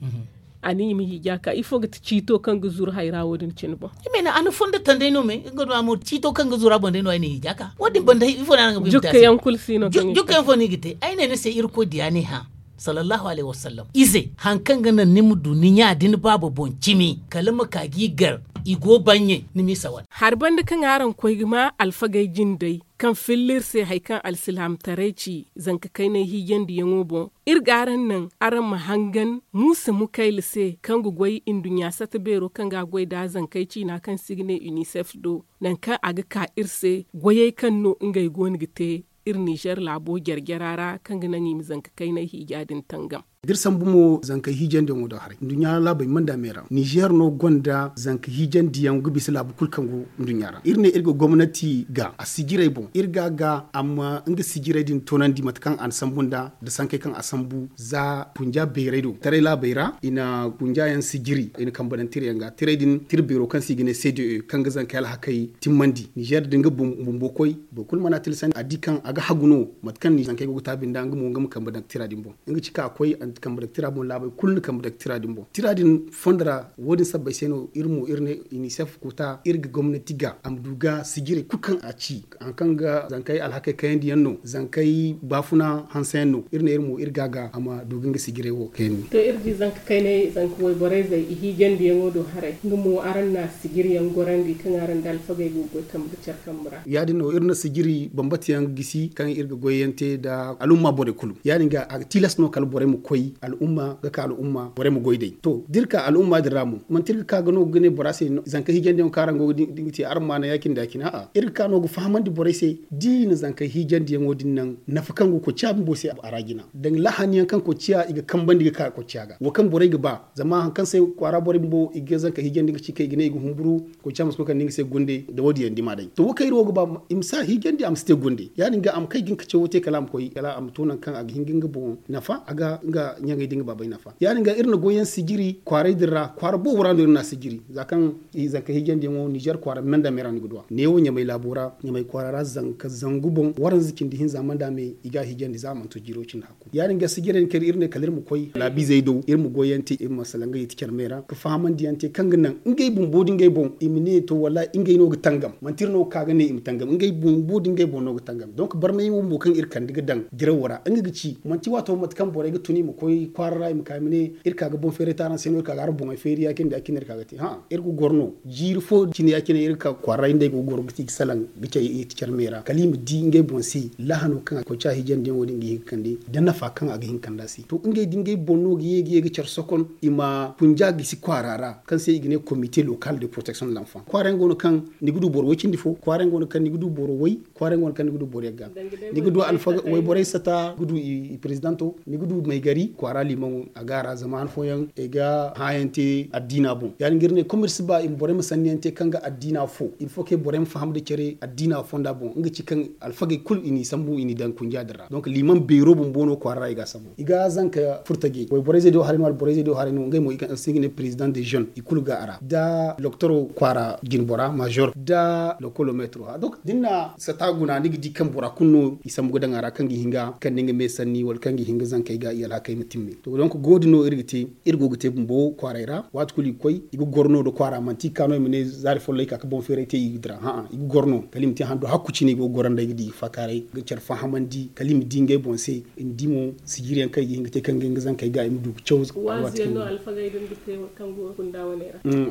A ne i ma hiija ka ifo ga ti ciito kaŋ ga zuru hayra wo- din cine boŋ? I ma ne a na fondo taŋ day no me nga no a mo ciito kaŋ ga zuru a boŋ day no ay na hiija ka wo- din banda ifo no a na nga jukka yaŋ kulu si no jukka yaŋ fo no i ga te ay ne ni se irkoy diya no i hã. Sallallahu alaihi wasallam ize hari kaŋ ga naŋ ni ma du ni ɲa da ni baaba boŋ cimi kala ma ka ga i gar. I go baŋ ɲey ni m'i sawan. Hari banda kaŋ araŋ koy ga ma alfagey jindey kaŋ filla iri se hari kaŋ alsilaamataray ci zanka kaynay hiijandiyaŋo boŋ. Iri ga araŋ naŋ araŋ ma hangan muusa mukayla se kaŋ ga goy nduɲɲa sata beero kaŋ ga a goy nd'a zankey ciina kaŋ se i ga ne unicef do nangu kaŋ a ga ka iri se goyey kaŋ no ngey go no ga te iri ninzeer laabo jare-jara ra kaŋ ga naŋ i ma zanka kaynay hiija din tangam. Da iri sambu mo zankey hiijandiyaŋo do haray nduɲɲa laabey manda me ra, nizer no gonda zanka hiijandiyaŋ ga bisa laabu kulu kaŋ go nduɲɲa ra. Iri ne iri ga gomnati ga a sijirey boŋ, iri ga a ga a ma nga sijirey din toonandi mate kaŋ a na sambu nda, nda sankey kaŋ a sambu za kunja beerey do taray laabey ra. I na kunja yaŋ sijiri, i na kambe daŋ tira yaŋ ga. Tirey din tira beero kaŋ se i ga ne cde, kaŋ ga zankey alhakey timmandi nizer da nga bumbo koy. Boro kulu mana tilasandi a di kaŋ a ga hagu no, mate kaŋ zankey go ga taabi nda nga mo nga ma kambe daŋ tira din boŋ. Nga ci kaŋ a koy a na kambe daŋ tira boŋ, laabey kulu na kambe daŋ tira din boŋ. Tira din fondo ra wo- din sabbay se no iri mo iri ne unicef kuta iri ga gomnati ga a ma du ga sijirey kulu kaŋ a ci, hari kaŋ ga zankey alhakey kayandi yaŋ no, zankey baafuna hanse yaŋ no, iri ne iri mo iri ga a ga a ma du ga nga sijirey wo kayandi. To iri di zanka kayney zanka wayborey zey i hiijandiyaŋo do haray, nga mo araŋ na sijiri yaŋ gorandi kaŋ araŋ nda alfagey go ga goy kambe ga care kambe ra. Ya- din no iri na sijiri bambata yaŋ gisi kaŋ iri ga goy yaŋ te nda al'umma borey kulu. Ya- din ga a ga tilas no kala borey ma koy al'umma ga ka al'umma borey ma goy day. To da iri ka al'umma din ra mo manti iri ga ka ga no ga ne bora se zanka hiijandiyaŋo kaŋ araŋ go ga te araŋ ma a naŋ ya- cine da ya- cine a'a, iri ga ka no ga fahamandi borey se. Da i na zanka hiijandiyaŋo din naŋ nafa kaŋ go ga koy ciya bumbo se a ra jina daŋ lahani yaŋ kaŋ koy ciya i ga kambandi ga ka koy ciya ga wo kaŋ borey ga ba. Zama hari kaŋ se kwaara borey bumbo i ga zanka hiijandi ga ci kaŋ i ga ne i ga humburu. Koy camas koy kande nga se gunde nda wo- din yaŋ dima day to wo kaŋ iri wo ga ba i ma si a hiijandi a ma si te gunde. Ya- din ga a ma kay ga nga cawo te kala a ma koy kala a ma to nangu kaŋ a ga hin ga nga boŋ nafa a ga nga ɲaŋey da nga baabey nafa. Ya- din ga iri na goy yaŋ sijiri kwaaray din ra kwaara boobo ra no iri na a sijiri za kaŋ zanka hiijandiyaŋo nizer kwaara menda me ra ni ga du a neewo ɲamay laabo ra ɲamay kwaara ra zanka zangu boŋ waranza cindi hinza manda me i ga a hiijandi za a mana to jiiro cindi hakku. Ya- din ga sijirey din kaŋ iri ne kala iri ma koy laabiizey do iri ma goy yaŋ te iri ma salaŋ ga yeti care me ra ga fahamandi yaŋ te kaŋ ga naŋ ngey bumbo da ngey boŋ i ma ne to wallahi ngey no ga tangam manti iri no ga ka ga ne i ma tangam ngey bumbo da ngey boŋ no ga tangam. Donc barmayaŋo bumbo kaŋ iri kande ga daŋ dirawo ra nga ga ci manti waato mate kaŋ borey ga tun i ma koy kwaara ra i ma ka i ma ne iri ka ga boŋ feeray te araŋ se no iri ka ga araŋ boŋey feeri ya- cine da ya- cine iri ka ga te hã iri ga goro no. Jiiri fo cine ya- cine iri ga ka kwaara ra iri nd'ey go ga goro ga ti ga salaŋ ga cay i ti care me ra kala i ma di ngey boŋ se lahano kaŋ a koy ca hiijandiyaŋo din ga hin ga kande da nafa kaŋ a ga hin ga kande a se to ngey da ngey boŋ no ga ye ga ye ga care sokon i ma kunja gisi kwaara ra kaŋ se i ga ne comité local de protection de l'enfant kwaara yaŋ go no kaŋ ni ga du boro way cindi fo kwaara yaŋ go no kaŋ ni ga du boro way kwaara yaŋ go no kaŋ ni ga du boro yagga. Ni ga du alfaga wayborey sata ga du i prezidanto ni ga du maygari kwaara limaŋo a ga a ra zama han fooyaŋ i ga hã yaŋ te addiina boŋ ya- din ga iri ne comme iri si ba i ma borey ma sanni yaŋ te kaŋ ga addiina fo il faut que borey ma faham nda care addiina fonda boŋ nga ci kaŋ alfagey kulu i n'i sambu i n'i daŋ kunja din ra donc liman beero bumbo no kwaara ra i ga a sambu i ga zanka furtajey wayborey zey do haray no wala borey zey do haray no ngey mo i kaŋ se i ga ne président des jeunes i kulu ga a ra da loktoro kwaara jinbora major da lokolo metro ha donc da ni na sata guna ni ga di kaŋ bora kulu no i sambu ga daŋ a ra kaŋ ga hin ga kande nga me sanni wala kaŋ ga hin ga zankey ga i alhakey ma timme to donc go- din no iri ga te iri go ga te bumbo kwaaray ra waati kulu i ga koy i ga goro no nda kwaara manti i ga ka no i ma ne zaari follo i ka ga boŋ feeray te i ga dira hã'a i ga goro no kala i ma te handu hakku cine i go ga goro nda i ga di i ga faakaaray ga care fahamandi kala i ma di ngey boŋ se i ma di mo sijiriyaŋ kaŋ i ga hin ga te kaŋ ga nga zankey ga i ma du ga caw.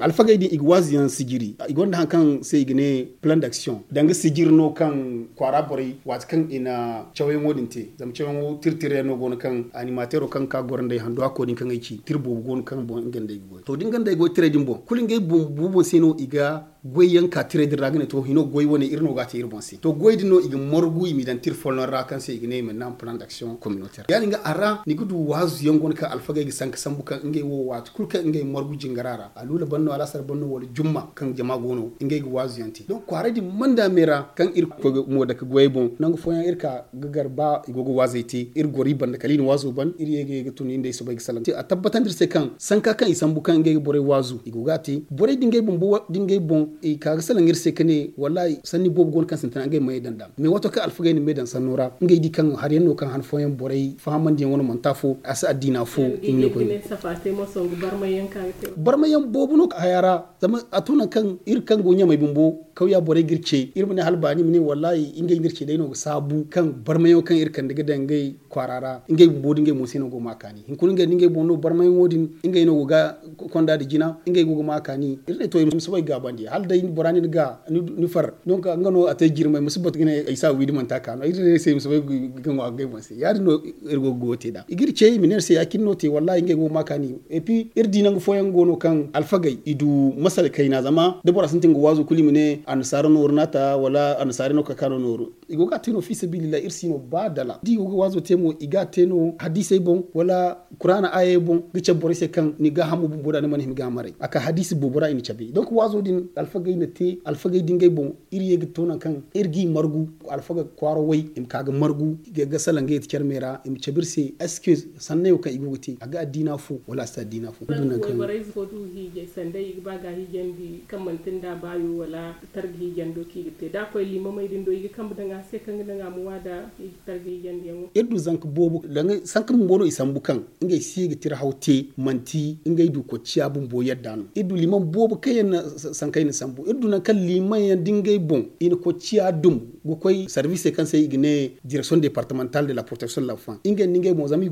Alfagey din i ga waazu yaŋ sijiri i gonda hari kaŋ se i ga ne plan d'action danga sijiri no kaŋ kwaara borey waati kaŋ i na cawyaŋo din te zama cawyaŋo tira tira yaŋ no go no kaŋ animateero kaŋ ga ka goro nd'ey handu hakko din kaŋ ay ci tira boobo go no kaŋ boŋ nga nd'ey ga goy to da nga nd'ey goy tirey din boŋ kulu ngey bumbo boŋ se no i ga goy yaŋ ka tirey din ra ga ne to hino goy wane iri no ga a te iri boŋ se to goy din no i ga margu i m'i daŋ tira folloŋ ra kaŋ se i ga ne i ma naŋ plan d'action communautaire ya- din ga a ra ni ga du waazu yaŋ go no kaŋ alfagey ga sanka sambu kaŋ ngey wo waati kulu kaŋ ngey margu jingara ra aluula ban no alaasar ban no wala jumma kaŋ jama go no ngey ga waazu yaŋ te donc kwaaray din manda me ra kaŋ iri koy ga mo dake goyey boŋ nangu fooyaŋ iri ka ga gar ba i go ga waazey te iri goro i banda kala i na waazo ban iri ye ga ye ga tun iri nd'ey soobay ga salaŋ a tabbatandi iri se kaŋ sanka kaŋ i sambu kaŋ ngey ga borey waazu i go ga a te borey da ngey bumbo da ngey boŋ i ka ga salaŋ iri se ka ne wallahi sanni boobo go no kaŋ sintina ngey ma ye daŋ nd'a mais waato kaŋ alfagey na me daŋ sanno ra ngey di kaŋ hari yaŋ no kaŋ han fooyaŋ borey fahamandiyaŋ wane manti afo a si addiina fo i ma ne koyne. Barmay yaŋ boobo no haya ra zama a to nangu kaŋ iri kaŋ go ɲamay bumbo kawya borey ga iri ce iri ma ne hala baani i ma ne wallahi ngey no iri ce day no ga saabu kaŋ barmayaŋo kaŋ iri kande ga daŋ ngey kwaara ra ngey bumbo da ngey mo se no go ma a kaani hunkuna ngey da ngey boŋ no barmayaŋo din ngey no go ga konda nda jina ngey go ga ma a kaani iri ne to i ma soobay ga gaabandi. hala day bora nin ga ni far. Donc nga no a te jirmay ma si batu ga ne ay si a wiidi manti a ka no ay se i ma si bay ga ŋwa ga ngey boŋ se ya- din no. Iri go ga goyo te nd'a i ga iri ce i ma ne iri se ya- cine no te wallahi ngey go ga ma kaani. Et puis iri di nangu fooyaŋ go no kaŋ alfagey i du masala kayna zama da bora sintin ga waazu kulu i ma ne annasaara nooru no a ta wala annasaarey no ga ka ka no nooru. I go ga a te no fi sabilillahi iri si no ba dala da i go ga waazo te mo i ga a te no hadiisey boŋ wala kuraana aayey boŋ ga cabe borey se kaŋ ni gaahamo bumbo nd'a ni mana hima ga a maray a ka hadiisi boobo ra i na cabe donc waazo din alfagey na te alfagey da ngey boŋ. Iri ye ga to nangu kaŋ iri g'i margu alfaga kwaara way i ma ka ga margu i ga salaŋ ga yeti care me ra i ma cabe iri se est ce que sannayo kaŋ i go ga te a ga addiina fo wala a si te addiina fo? Iri du nangu kaŋ wayborey fo du hiijay sanda i ga ba ga hiijandi kaŋ manti nda baayo wala targa hiijando kaŋ i ga te da a koy liimamey din do i ga kambe daŋ a se kaŋ ga daŋ a ma waada i ga targa hiijandiyaŋo. Iri du zanka boobo danga sanka bumbo no i sambu kaŋ ngey si ga tira haw te manti ngey du kocciya bumbo yadda no iri du liimam boobo kaŋ yaŋ na sankey na sambu iri du nangu kaŋ liimam yaŋ da ngey boŋ i na kocciya dum ga koy sarbiisey kaŋ se i ga ne direksiyoŋ departemental de la protection de la femme ngey nda ngey boŋ zama i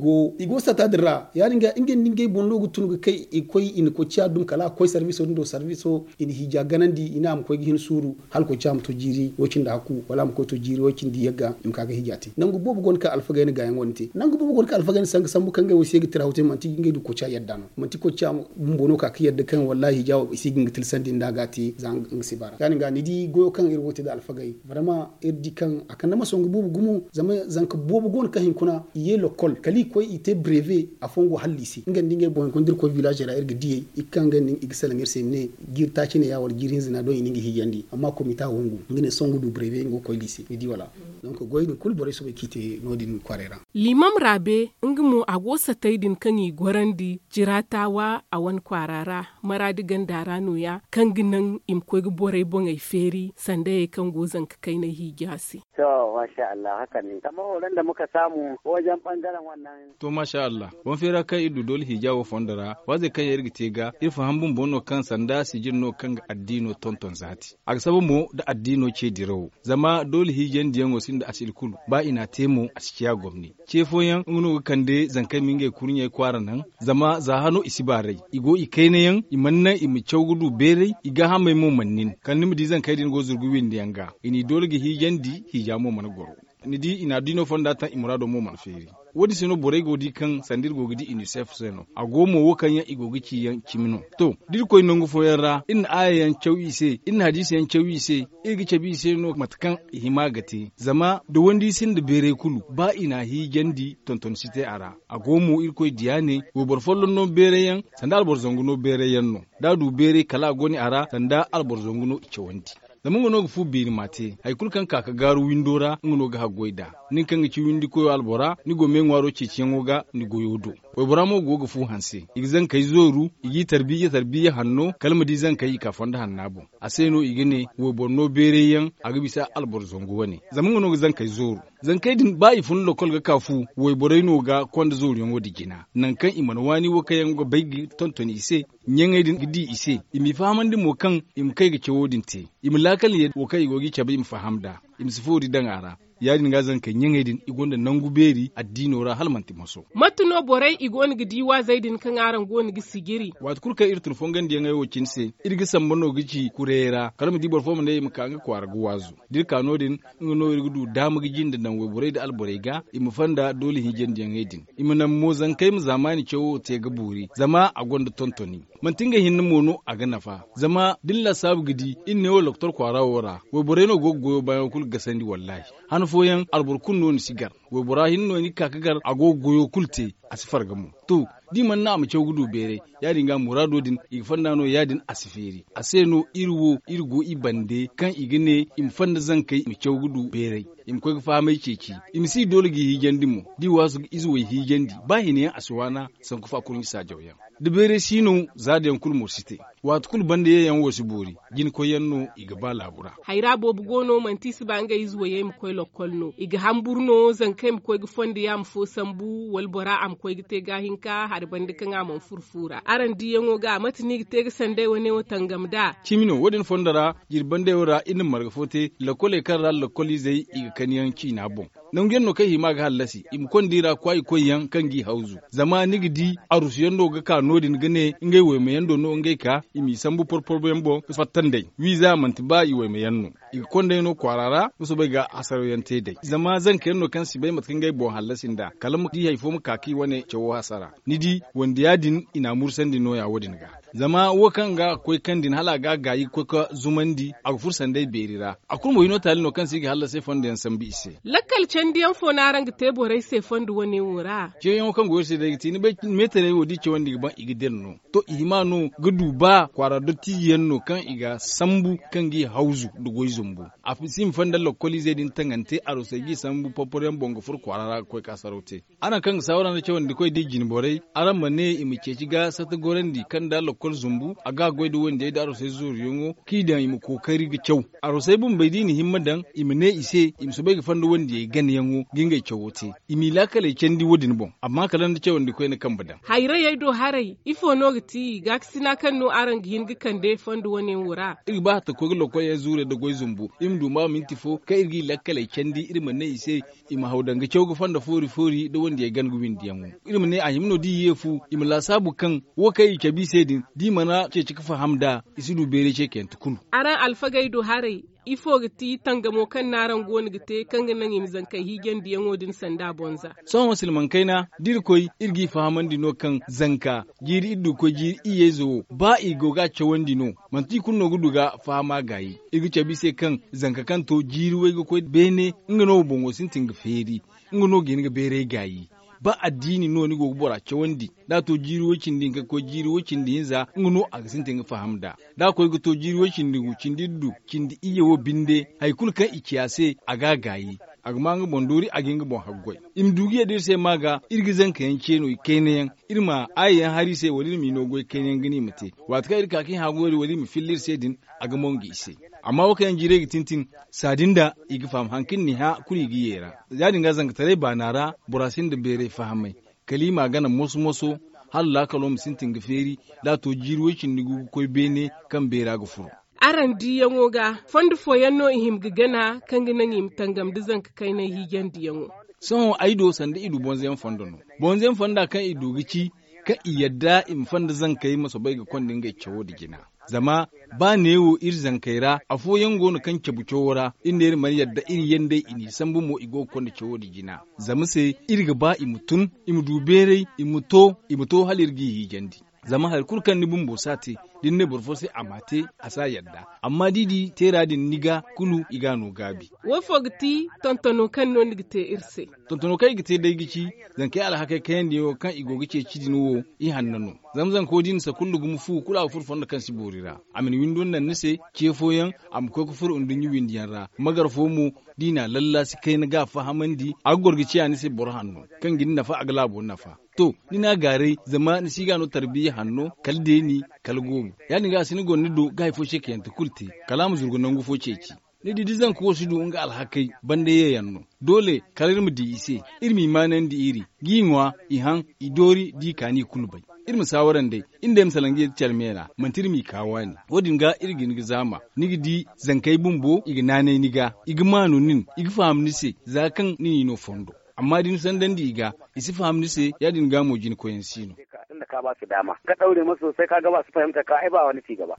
go sata din ra ya- din ga ngey nda ngey boŋ no ga tun ga kay i koy i na kocciya dum kala a ga koy sarbiiso din do sarbiiso i na hiija ganandi i ne a ma koy ga hin suuru hala koy ci a ma to jiiri way- cindi hakku wala a ma koy to jiiri way- cindi yagga i ma ka ga hiija te nangu boobo go no kaŋ alfagey na gaayaŋ wo- din te nangu boobo go no kaŋ alfagey na sanga sambu kaŋ ngey wo i si ye ga tira haw te manti ngey du koy ci a yadda no manti koy ci a bumbo no ka ga yadda kaŋ wallahi hiija wo i si ga nga tilsandi nda ga te za nga si baara ya- din ga ni di goyo kaŋ iri go ga te nda alfagey barama iri di kaŋ a kande ma songu boobo gumo zama zanka boobo go no kaŋ hinkuna i ye lokkol kala i koy i te breve afooyaŋ go hala liise nga nda ngey boŋ hunkuna da iri koy villaazey ra iri ga diyey i ga kaŋ ga nin i ga salaŋ iri se i ma ne jiiri taaci ne ya wala jiiri hinza no a doŋ i na nga hiijandi amma komita wangu nga ne sohõ nga du breve nga ga koy liise ni di wala? Donk goy din kulu borey soobay kaŋ i te no- din kwaaray ra. Liimam raabe nga mo a go satay din kaŋ i gorandi jiraatawa a wane kwaara ra maraadi ganda ra no- ya kaŋ ga naŋ i ma koy ga borey boŋey feeri sandayey kaŋ go zanka kaynay hiija se. To masha allah haka ne kamar horon da muka samu wajen bangaren wannan. To masha allah wane feera kaŋ iri du doole hiija wo fondo ra waazey kaŋ yaŋ iri ga te ga iri faham bumbo no kaŋ sanda sijir no kaŋ ga addiino tonton zaati a ga saba mo nda addiino ce dirawo zama doole hiijandiyaŋo sinda asili kulu ba i n'a te mo a si ciya gomni. Ce fooyaŋ nga no ga kande zankey ma ngey kurɲey kwaara naŋ zama za hano i si baaray i go i kaynayaŋ i mana naŋ i ma caw ga du beeray i gaahamey mo mana nin kala ni ma di zankey din go zurgu windiyaŋ ga i n'i doole ga hiijandi hiija mo mana goro. Ni di i na addiino fonda taŋ i muraado mo mana feeri. Wo- din se no borey go ga di kaŋ sanda iri go ga di unicef se no a go mo wo kaŋ yaŋ i go ga ci yaŋ cimi no. To da iri koy nangu fooyaŋ ra iri na aayayaŋ caw i se iri na hadiisiyaŋ caw i se iri ga cabe i se no mate kaŋ i hima ga te zama da wandi sinda beeray kulu ba i n'a hiijandi tonton si te a ra. A go mo irkoy diya ne wayboro folloŋ no beeray yaŋ sanda alboro zangu no beeray yaŋ no da a du beeray kala a goni a ra sanda alboro zangu no i cawandi. Zama nga no ga fu beeri m'a te hari kulu kaŋ ka ga gaaru windo ra nga no ga haggoy nd'a. Nin kaŋ ga ci windikoyo albora ni go meeŋwaaro ceeciyaŋo ga ni goyo do. Waybora mo go ga fu hanse i ga zankey zooru i g'i tarbiyya tarbiyya hanno kala ma di zankey i ka fondo hanna boŋ. A se no i ga ne wayboro no beeray yaŋ a ga bisa alboro zangu wane zama nga no ga zankey zooru. Zankey din ba i fun lokol ga ka fu wayborey no ga konda zooruyaŋo din jina nangu kaŋ i mana waani wo kaŋ yaŋ ga bay ga tonton i se. Ɲaŋey din ga di i se i m'i fahamandi mo kaŋ i ma kay ga cawo din te i ma laakal ye wo kaŋ i go g'i cabe i ma faham nd'a i ma si foori daŋ a ra. Ya- din ga zankey ɲaŋey din i gonda nangu beeri addiino ra hala manti moso. Mate no borey i go no ga di waazey din kaŋ araŋ go no ga sijiri? Waati kulu kaŋ iri tun fongandiyaŋey wo cine se iri ga samba no ga ci kurayey ra kala ma di boro fo ma ne i ma ka nga kwaara ga waazu. Da iri ka no- din nga no iri ga du daama ga jinde naŋ wayborey nda alborey ga i ma fonda doole hiijandiyaŋey din. I ma naŋ mo zankey ma zaamaani cawo te ga boori zama a gonda tontoni. Manti ngey hinne mo no a ga nafa zama da ni laasaabu ga di iri ne wo lokotor kwaara wo ra wayborey no go ga goyo baayaŋo kulu ga gasandi wallaahi. Han fooyaŋ alboro kulu no ni si gar. Waybora hinne no ni ga ka ga gar a go ga goyo kulu te a si farga mo. To da i mana naŋ a ma caw ga du beeray ya- din ga muraado din i ga fonda no ya- din a si feeri a se no iri wo iri go i bande kaŋ i ga ne i ma fonda zankey i ma caw ga du beeray. I ma koy ga fahamey ceeci i ma si doole g'i hiijandi mo da i waasu ga ize way hiijandi ba hina yaŋ a si waana. Sanku fa kurɲe saajawyaŋ da beeray si no zaadayaŋ kulu mo si te. Waati kulu banda yeeyaŋ wo si boori jina koyyaŋ no i ga ba laabu ra. Hayra boobo go no manti i si ba ngey ize wayey ma koy lokkol no i ga hamburu no zankey ma koy ga fondo yaama fo sambu wala bora a ma koy ga te gaahinka hari banda kaŋ a mana furo fu ra araŋ diyaŋo ga mate no i ga te ga sanday wane wo tangam nd'a? Cimi no wo- din fondo ra jiri bandey wo ra iri na marga fo te lokkoley kaŋ ra lokkol izey i ga kani yaŋ ciina boŋ. nangu yaŋ no kaŋ i hima ga hallasi i ma konda i ra kwaayi koy yaŋ kaŋ g'i hawzu. Zama ni ga di arusu yaŋ no ga ka no- din ga ne ngey wayma yaŋ do no ngey ka i m'i sambu porporo yaŋ boŋ ga fatta nd'ey wiiza manti ba i wayma yaŋ no. I ga konda ay no kwaara ra nga soobay ga hasaraw yaŋ te day zama zanka yaŋ no kaŋ si bay mate kaŋ ngey boŋ hallasi nd'a kala ma di hari fo ma ka kaŋ i wane cawo hasara. Ni di wande ya- din i n'a mursandi nooya wo- din ga. Zama wo kaŋ ga koy kaŋ din hala a ga a gaayi ga koy ga zumandi a ga furo sanday beeri ra. A kulu mo hino taali no kaŋ se i ga hallasay fondo yaŋ sambu i se. Lakkal candi yaŋ fo no araŋ ga te borey se fondo wane wo ra? Ceeyaŋo kaŋ go iri se day ga ti ni bay meetarey wo da i cawandi ga baŋ i ga dira no. To i hima no ga du ba kwaara dottiijo yaŋ no kaŋ i ga sambu kaŋ g'i hawzu nda goy zumbu. A si ma fonda lakkoliizey din taŋante arusey g'i sambu porporo yaŋ boŋ ga furo kwaara ra ga koy ga hasaraw te. Araŋ kaŋ ga saawara nda cawandikoy da i jine borey, araŋ ma ne i ma ceeci ga sata gorandi kaŋ nda lakkol zumbu a ga goy nda wandiyey nda arusey zooriyaŋo kaŋ i daŋ i ma kookari ga caw. Arusey bumbey da i na himma daŋ i ma ne i se i ma soobay ga fonda wandiyey ganayaŋo ga ngey cawo te. I m'i laakaley candi wo- din boŋ amma kala nda cawandikoy na kambe daŋ. Hayrayey do haray ifo no ga ti gaakasina kaŋ no araŋ ga hin ga kande fondo wane wo ra? Iri ga ba hatta ga koy ga lokol yaŋ zuurey nda goy zumbu iri ma du ma minti fo kaŋ iri g'i lakkaley candi iri ma ne i se i ma haw daŋ ga caw ga fonda foori foori nda wandiyey gana ga windiyaŋo. Iri ma ne a hima no da i ye fu i ma laasaabu kaŋ wo kaŋ i cabe i se din da i mana ceeci ga faham nd'a. I si du beeray ceekayante kulu. Araŋ alfagey do haray ifo ga ti tangamo kaŋ no araŋ go no ga te kaŋ ga naŋ i ma zankey hiijandiyaŋo din sanda bonza? Sohõ silmaŋ kayna da iri koy iri g'i fahamandi no kaŋ zanka jiiri iri du ga koy jiiri iyye ize wo ba i go ga a cawandi no manti i kulu no ga du ga fahama gaayi. Iri ga cabe i se kaŋ zanka kaŋ to jiiri way ga koy beene nga no wo boŋo sintin ga feeri. Nga no ga hin ga beeray gaayi. Ba addiini no ni go ga bora cawandi da a to jiiri way cindi hinka ga koy jiiri way cindi hinza nga no a ga sintin ga faham nd'a. Da a koy ga to jiiri way cindi gu cindi iddu cindi iyye wo binde hari kulu kaŋ i ci a se a ga a gaayi. A ga ma nga boŋ doori a ga hin ga boŋ haggoy. I ma du ga yadda iri se ma ga iri ga zanka yaŋ ce no i kayna yaŋ iri ma aayi yaŋ hari i se wala iri m'i no goy kayna yaŋ ga ne i ma te. Waati kaŋ iri ka kaŋ i haagu wari wala iri ma filla iri se din a ga mongo i se. Amma wo kaŋ yaŋ jiirey ga tintin saadi nda i ga faham hari kaŋ iri n'i hã kulu i ga ye ra. Ya- din ga zankataray baana ra bora sinda beeray fahamay. Kala i m'a gana moso moso hala laakalo ma sintin ga feeri da a to jiiri way cindi gu ga koy beene kaŋ beera ga furo. Araŋ diiyaŋo ga fondo fooyaŋ no i hima ga gana kaŋ ga naŋ i ma tangam nda zanka kaynay hiijandiyaŋo? Sohõ ay do sanda i du bonzayaŋ fondo no. Bonzayaŋ fonda kaŋ i du ga ci kaŋ i yadda i ma fonda zankey ma soobay ga konda ngey cawo nda jina. Zama ba neewo iri zankey ra afooyaŋ go no kaŋ cabu cawo ra iri ne iri mana yadda iri yandey i n'i sambu mo i go ga konda cawo nda jina. Zama se iri ga ba i ma tun i ma du beeray i ma to i ma to hala iri g'i hiijandi. Zama hari kulu kaŋ ni bumbo si a te da ni ne boro fo se a m'a te a si a yadda. Amma da i di teera din ni ga kulu i ga a no gaabi. Wo fo ga ti tontono kaŋ no ni ga te iri se? Tontono kaŋ i ga te day ga ci zankey alhakey kayandiyaŋo kaŋ i go ga ceeci din wo i hanno no. Zama zanko da i na sakullu gumo fu kulu a ga furo fondo kaŋ si boori ra. A ma ni windo naŋ ni se ce fooyaŋ a ma koy ga furo nduɲɲa windiyaŋ ra. Magar fo mo da i n'a lallaasi kayna ga a fahamandi a ga goro ga ciya ni se boro hanno kaŋ ga ni nafa a ga laabo nafa. To ni n'a gaaray zama ni si ga no tarbiya hanno kala deeni kala goobu. Ya- din ga a si ni goro ni do ga hari fo ceekayante kulu te kala a ma zurgu nangu fo ceeci. Ni di da zanka wo si du nga alhakey banda yeeyaŋ no. Doole kala iri ma di i se iri m'i maanandi iri g'i ŋwa i haŋ i doori da i kaani i kulu bay. Iri ma saawara nd'ey iri nd'ey ma salaŋ ga ye da care me ra manti iri m'i ka waani. Wo- din ga iri ga hin ga zaama ni ga di zankey bumbo i ga naanay ni ga i ga maanu nin i ga faham ni se za kaŋ ni n'i no fondo. Amma da ni sandandi i ga i si faham ni se ya- din ga mo jina koyyaŋ si no. Tun da ka ba su dama ka daure masu sosai ka ga ba su fahimta ka ai ba wani ci gaba.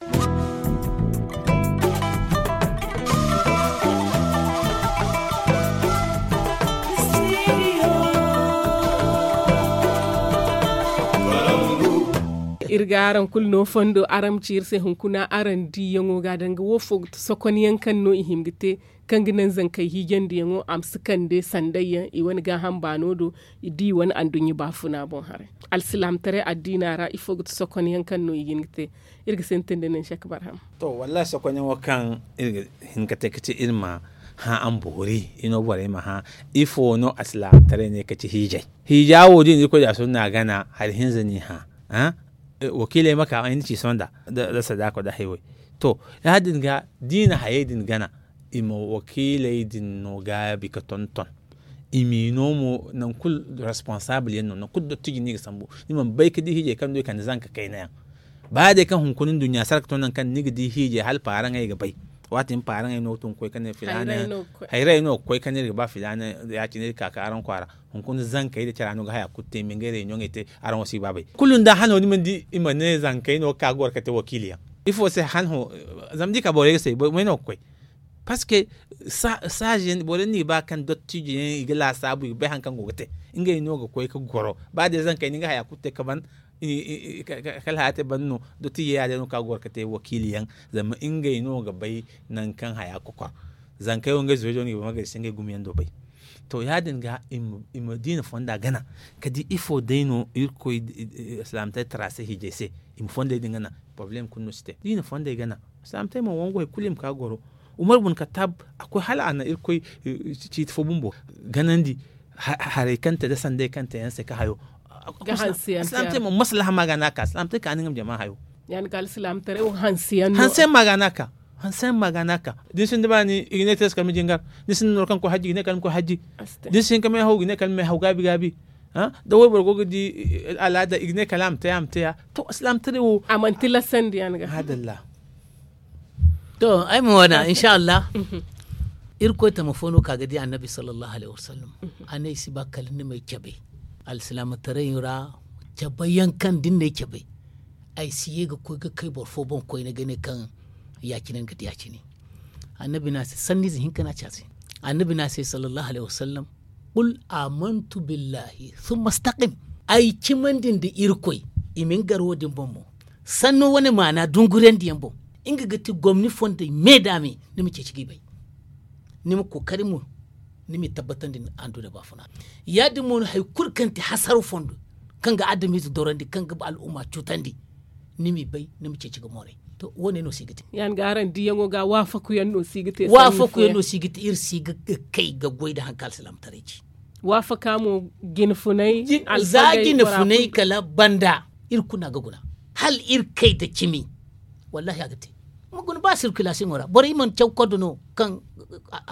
Iri ga araŋ kulu no fondo araŋ ma ci iri se hunkuna araŋ diiyaŋo ga danga wo fo ga ti sokonyaŋ kaŋ no i hima ga te kaŋ ga naŋ zankey hiijandiyaŋo a ma si kande sandayyaŋ i wane gaaham baano do i di wane anduɲɲa baafuna boŋ haray. Alsilaamataray addiina ra ifo ga ti sokonyaŋ kaŋ no i ga hin ga te? Iri ga sintin da nin sek barham. To wallahi sokonyaŋo kaŋ iri ga hin ga te ga ci iri ma hã araŋ boori iri no borey ma hã ifo no alsilaamataray ne ga ci hiijay? Hiija wo da i na irkoy da sunna gana hari hinza n'i hã. Wakiiley ma ka ay ni ci sonda da sadaako da haywey. To ya- din ga da i na hayey din gana i ma wakiiley din no gaabi ga tonton. I m'i no mo nangu kulu responsable yaŋ no nangu kulu dottiji no i ga sambu ni mana bay ga di hiijay kaŋ du i kande zanka kayna yaŋ. Ba day kaŋ hunkuna nduɲɲa sara ga to nangu kaŋ ni ga di hiijay hala paaraŋey ga bay. Waati ni paaraŋey no ga tun ga koy ka ne filaana hayray no ga koy ka ne iri ga ba filaana. Ya- cine iri ga ka ka araŋ kwaara. Hunkuna zankey da cara no ga haya kulu te i ma ngey reunion ey te. Araŋ wo si ga ba bay kulu nda hano ni mana di i ma ne zankey no ga ka ga goro ka te wakiili yaŋ. Ifo se han ho? Zama da i ka borey ga say borey no ga koy. Parce que saaze yaŋ borey no i ga ba kaŋ dottijo yaŋ i ga laasaabu i ga bay hari kaŋ go ga te. Ngey no ga koy ga goro ba day zankey no nga haya kulu te ga ban. Kala haya te ban no dottijo yaŋ ya- din no kaŋ a ga goro ga te wakiili yaŋ. Zama ngey no ga bay nangu kaŋ haya ga kokor. Zankey wo ngey zurey do no i ga bay ma gay se ngey gumo yaŋ do bay. To ya- din ga i ma diina fonda gana ka di ifo day no irkoy alsilaamataray tara se hiijay se. I ma fondey din gana. Porobalem kulu no si te diina fondey gana. Alsilaamataray mo wangu hari kulu i ma ka ga goro. Umar bun kattab a koy hala a na irkoy ciiti fo bumbo ganandi. Haray kaŋ te da sanday kaŋ te yaŋ se ka hayo. Alsilaamataray mo maslaha ma ga no a ka alsilaamataray ka ni nga ma jama hayo. Hanse yaŋ ma ga no a ka. Hanse yaŋ ma ga no a ka. Da ni sinda baani i ga ne te se kala ma jingar. Da ni sinda nooro kaŋ ga koy hajji i ga ne kala ma koy hajji. Da ni si hin ka meehaw i ga ne kala ma meehaw gaabi gaabi. Da wayboro go ga di alaada i ga ne kala a ma te a ma te a. To alsilaamataray wo a mana tilasandi yaŋ ga. Maadalla. To ay ma wana insa allah. Irkoy tama fo no ka ga di annabi sallallahu alaihi wasallam. A ne ay si ba kala ni m'ay cabe. Alsilaamataray ra cabe yaŋ kaŋ da ni n'ay cabe ay si ye ga koy ga kay boro fo boŋ koyne ga ne kaŋ ya- cine ni ga di ya- cine. Annabi ne a se sanniize hinka no a ci a se. Annabi ne a se sallallahu alaihi wasallam. Kul amantu billahi summa staqim. Ay cimandi nda irkoy. I ma ni gar wo- din boŋ mo sanno wane maana dungurandi yaŋ boŋ. Nga ga ti gomni fondey me da me ni ma ceeci ga i bay. Ni ma kookari mo ni m'i tabbatandi anduuna baafuna. Ya- din mo no hari kulu kaŋ ti hasaro fondo kaŋ ga adamize dorandi kaŋ ga al'umma cuutandi. Ni m'i bay ni ma ceeci ga mooray. To wo- ne no si ga te. Ya- ni ga araŋ diyaŋo ga waafaku yaŋ no si ga te. Waafaku yaŋ no si ga te iri si ga kay ga goy nda hari kaŋ alsilaamataray ci. Waafaka mo jine funay za jine funay kala banda. Iri kulu no a ga guna hala iri kay nda cimi. Wallahi a ga te. Ma guna ba sirkilasiyoŋo ra borey mana caw koddo no kaŋ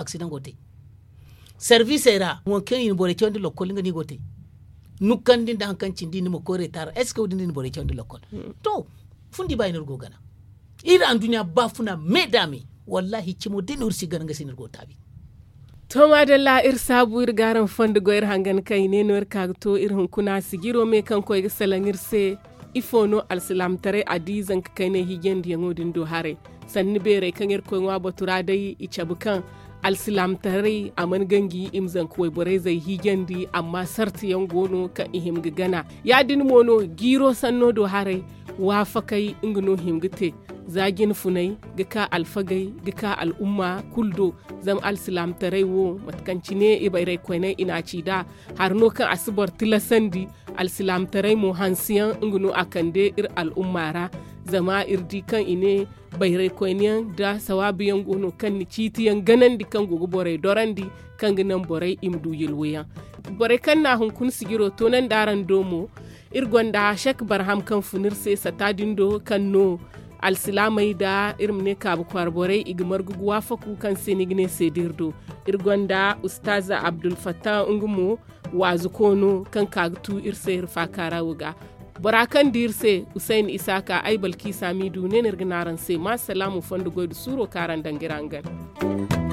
aksidaŋ go te. Sarbiisey ra waŋ kaŋ i na borey cawandi lokkol nga no i go te. Nukkandi nda hari kaŋ cindi ni ma koy reetaar est ce que wo- din no i na borey cawandi lokkol? To fundi ba i no iri go gana. Iri anduɲɲa baafuna me da me. Wallahi cimo day no iri si gana nga se no iri go taabi. To maadalla iri saabu iri ga araŋ fondo goy iri hangan kaŋ i ne no iri ka ga to iri hunkuna sijiro me kaŋ koy ga salaŋ iri se. Ifo no alsilaamataray a di zanka kaynay hiijandiyaŋo din do haray? Sanni beerey kaŋ iri koy ŋwa batu ra day i cabe kaŋ alsilaamataray a mana ganji i ma zanka wayborayzey hiijandi amma sarti yaŋ go no kaŋ i hima ga gana. Ya- din mo no jiiro sanno do haray waafakey nga no hima ga te. Za jine funay ga ka alfagey ga ka al'umma kulu do. Zama alsilaamataray wo mate kaŋ cine i bayraykoyney i n'a ci nd'a hari no kaŋ a si boro tilasandi. Alsilaamataray mo hanse yaŋ nga no a kande iri al'umma ra. Zama iri di kaŋ i ne bayraykoyne yaŋ nda sawaabu yaŋ go no kaŋ na ciiti yaŋ ganandi kaŋ go ga borey dorandi kaŋ ga naŋ borey i ma du yilwo yaŋ. Borey kaŋ na hunkuna sijiro toonandi araŋ do mo iri gonda sek barham kaŋ fun iri se sata din do kaŋ no alsilaamey nda iri ma ne kaabu kwaara borey i ga margu ga waafaku kaŋ se ni ga ne seeda iri do. Iri gonda ustaaza abdulfatta nga mo waazuko no kaŋ ka ga tu iri se iri faaka ra wo ga. Bora kaŋ di iri se husayni isaaka ay balkiisa miidu ne no iri ga ne araŋ se ma salaamu fondo goy nda suuro kaŋ araŋ daŋ ga iri hangan.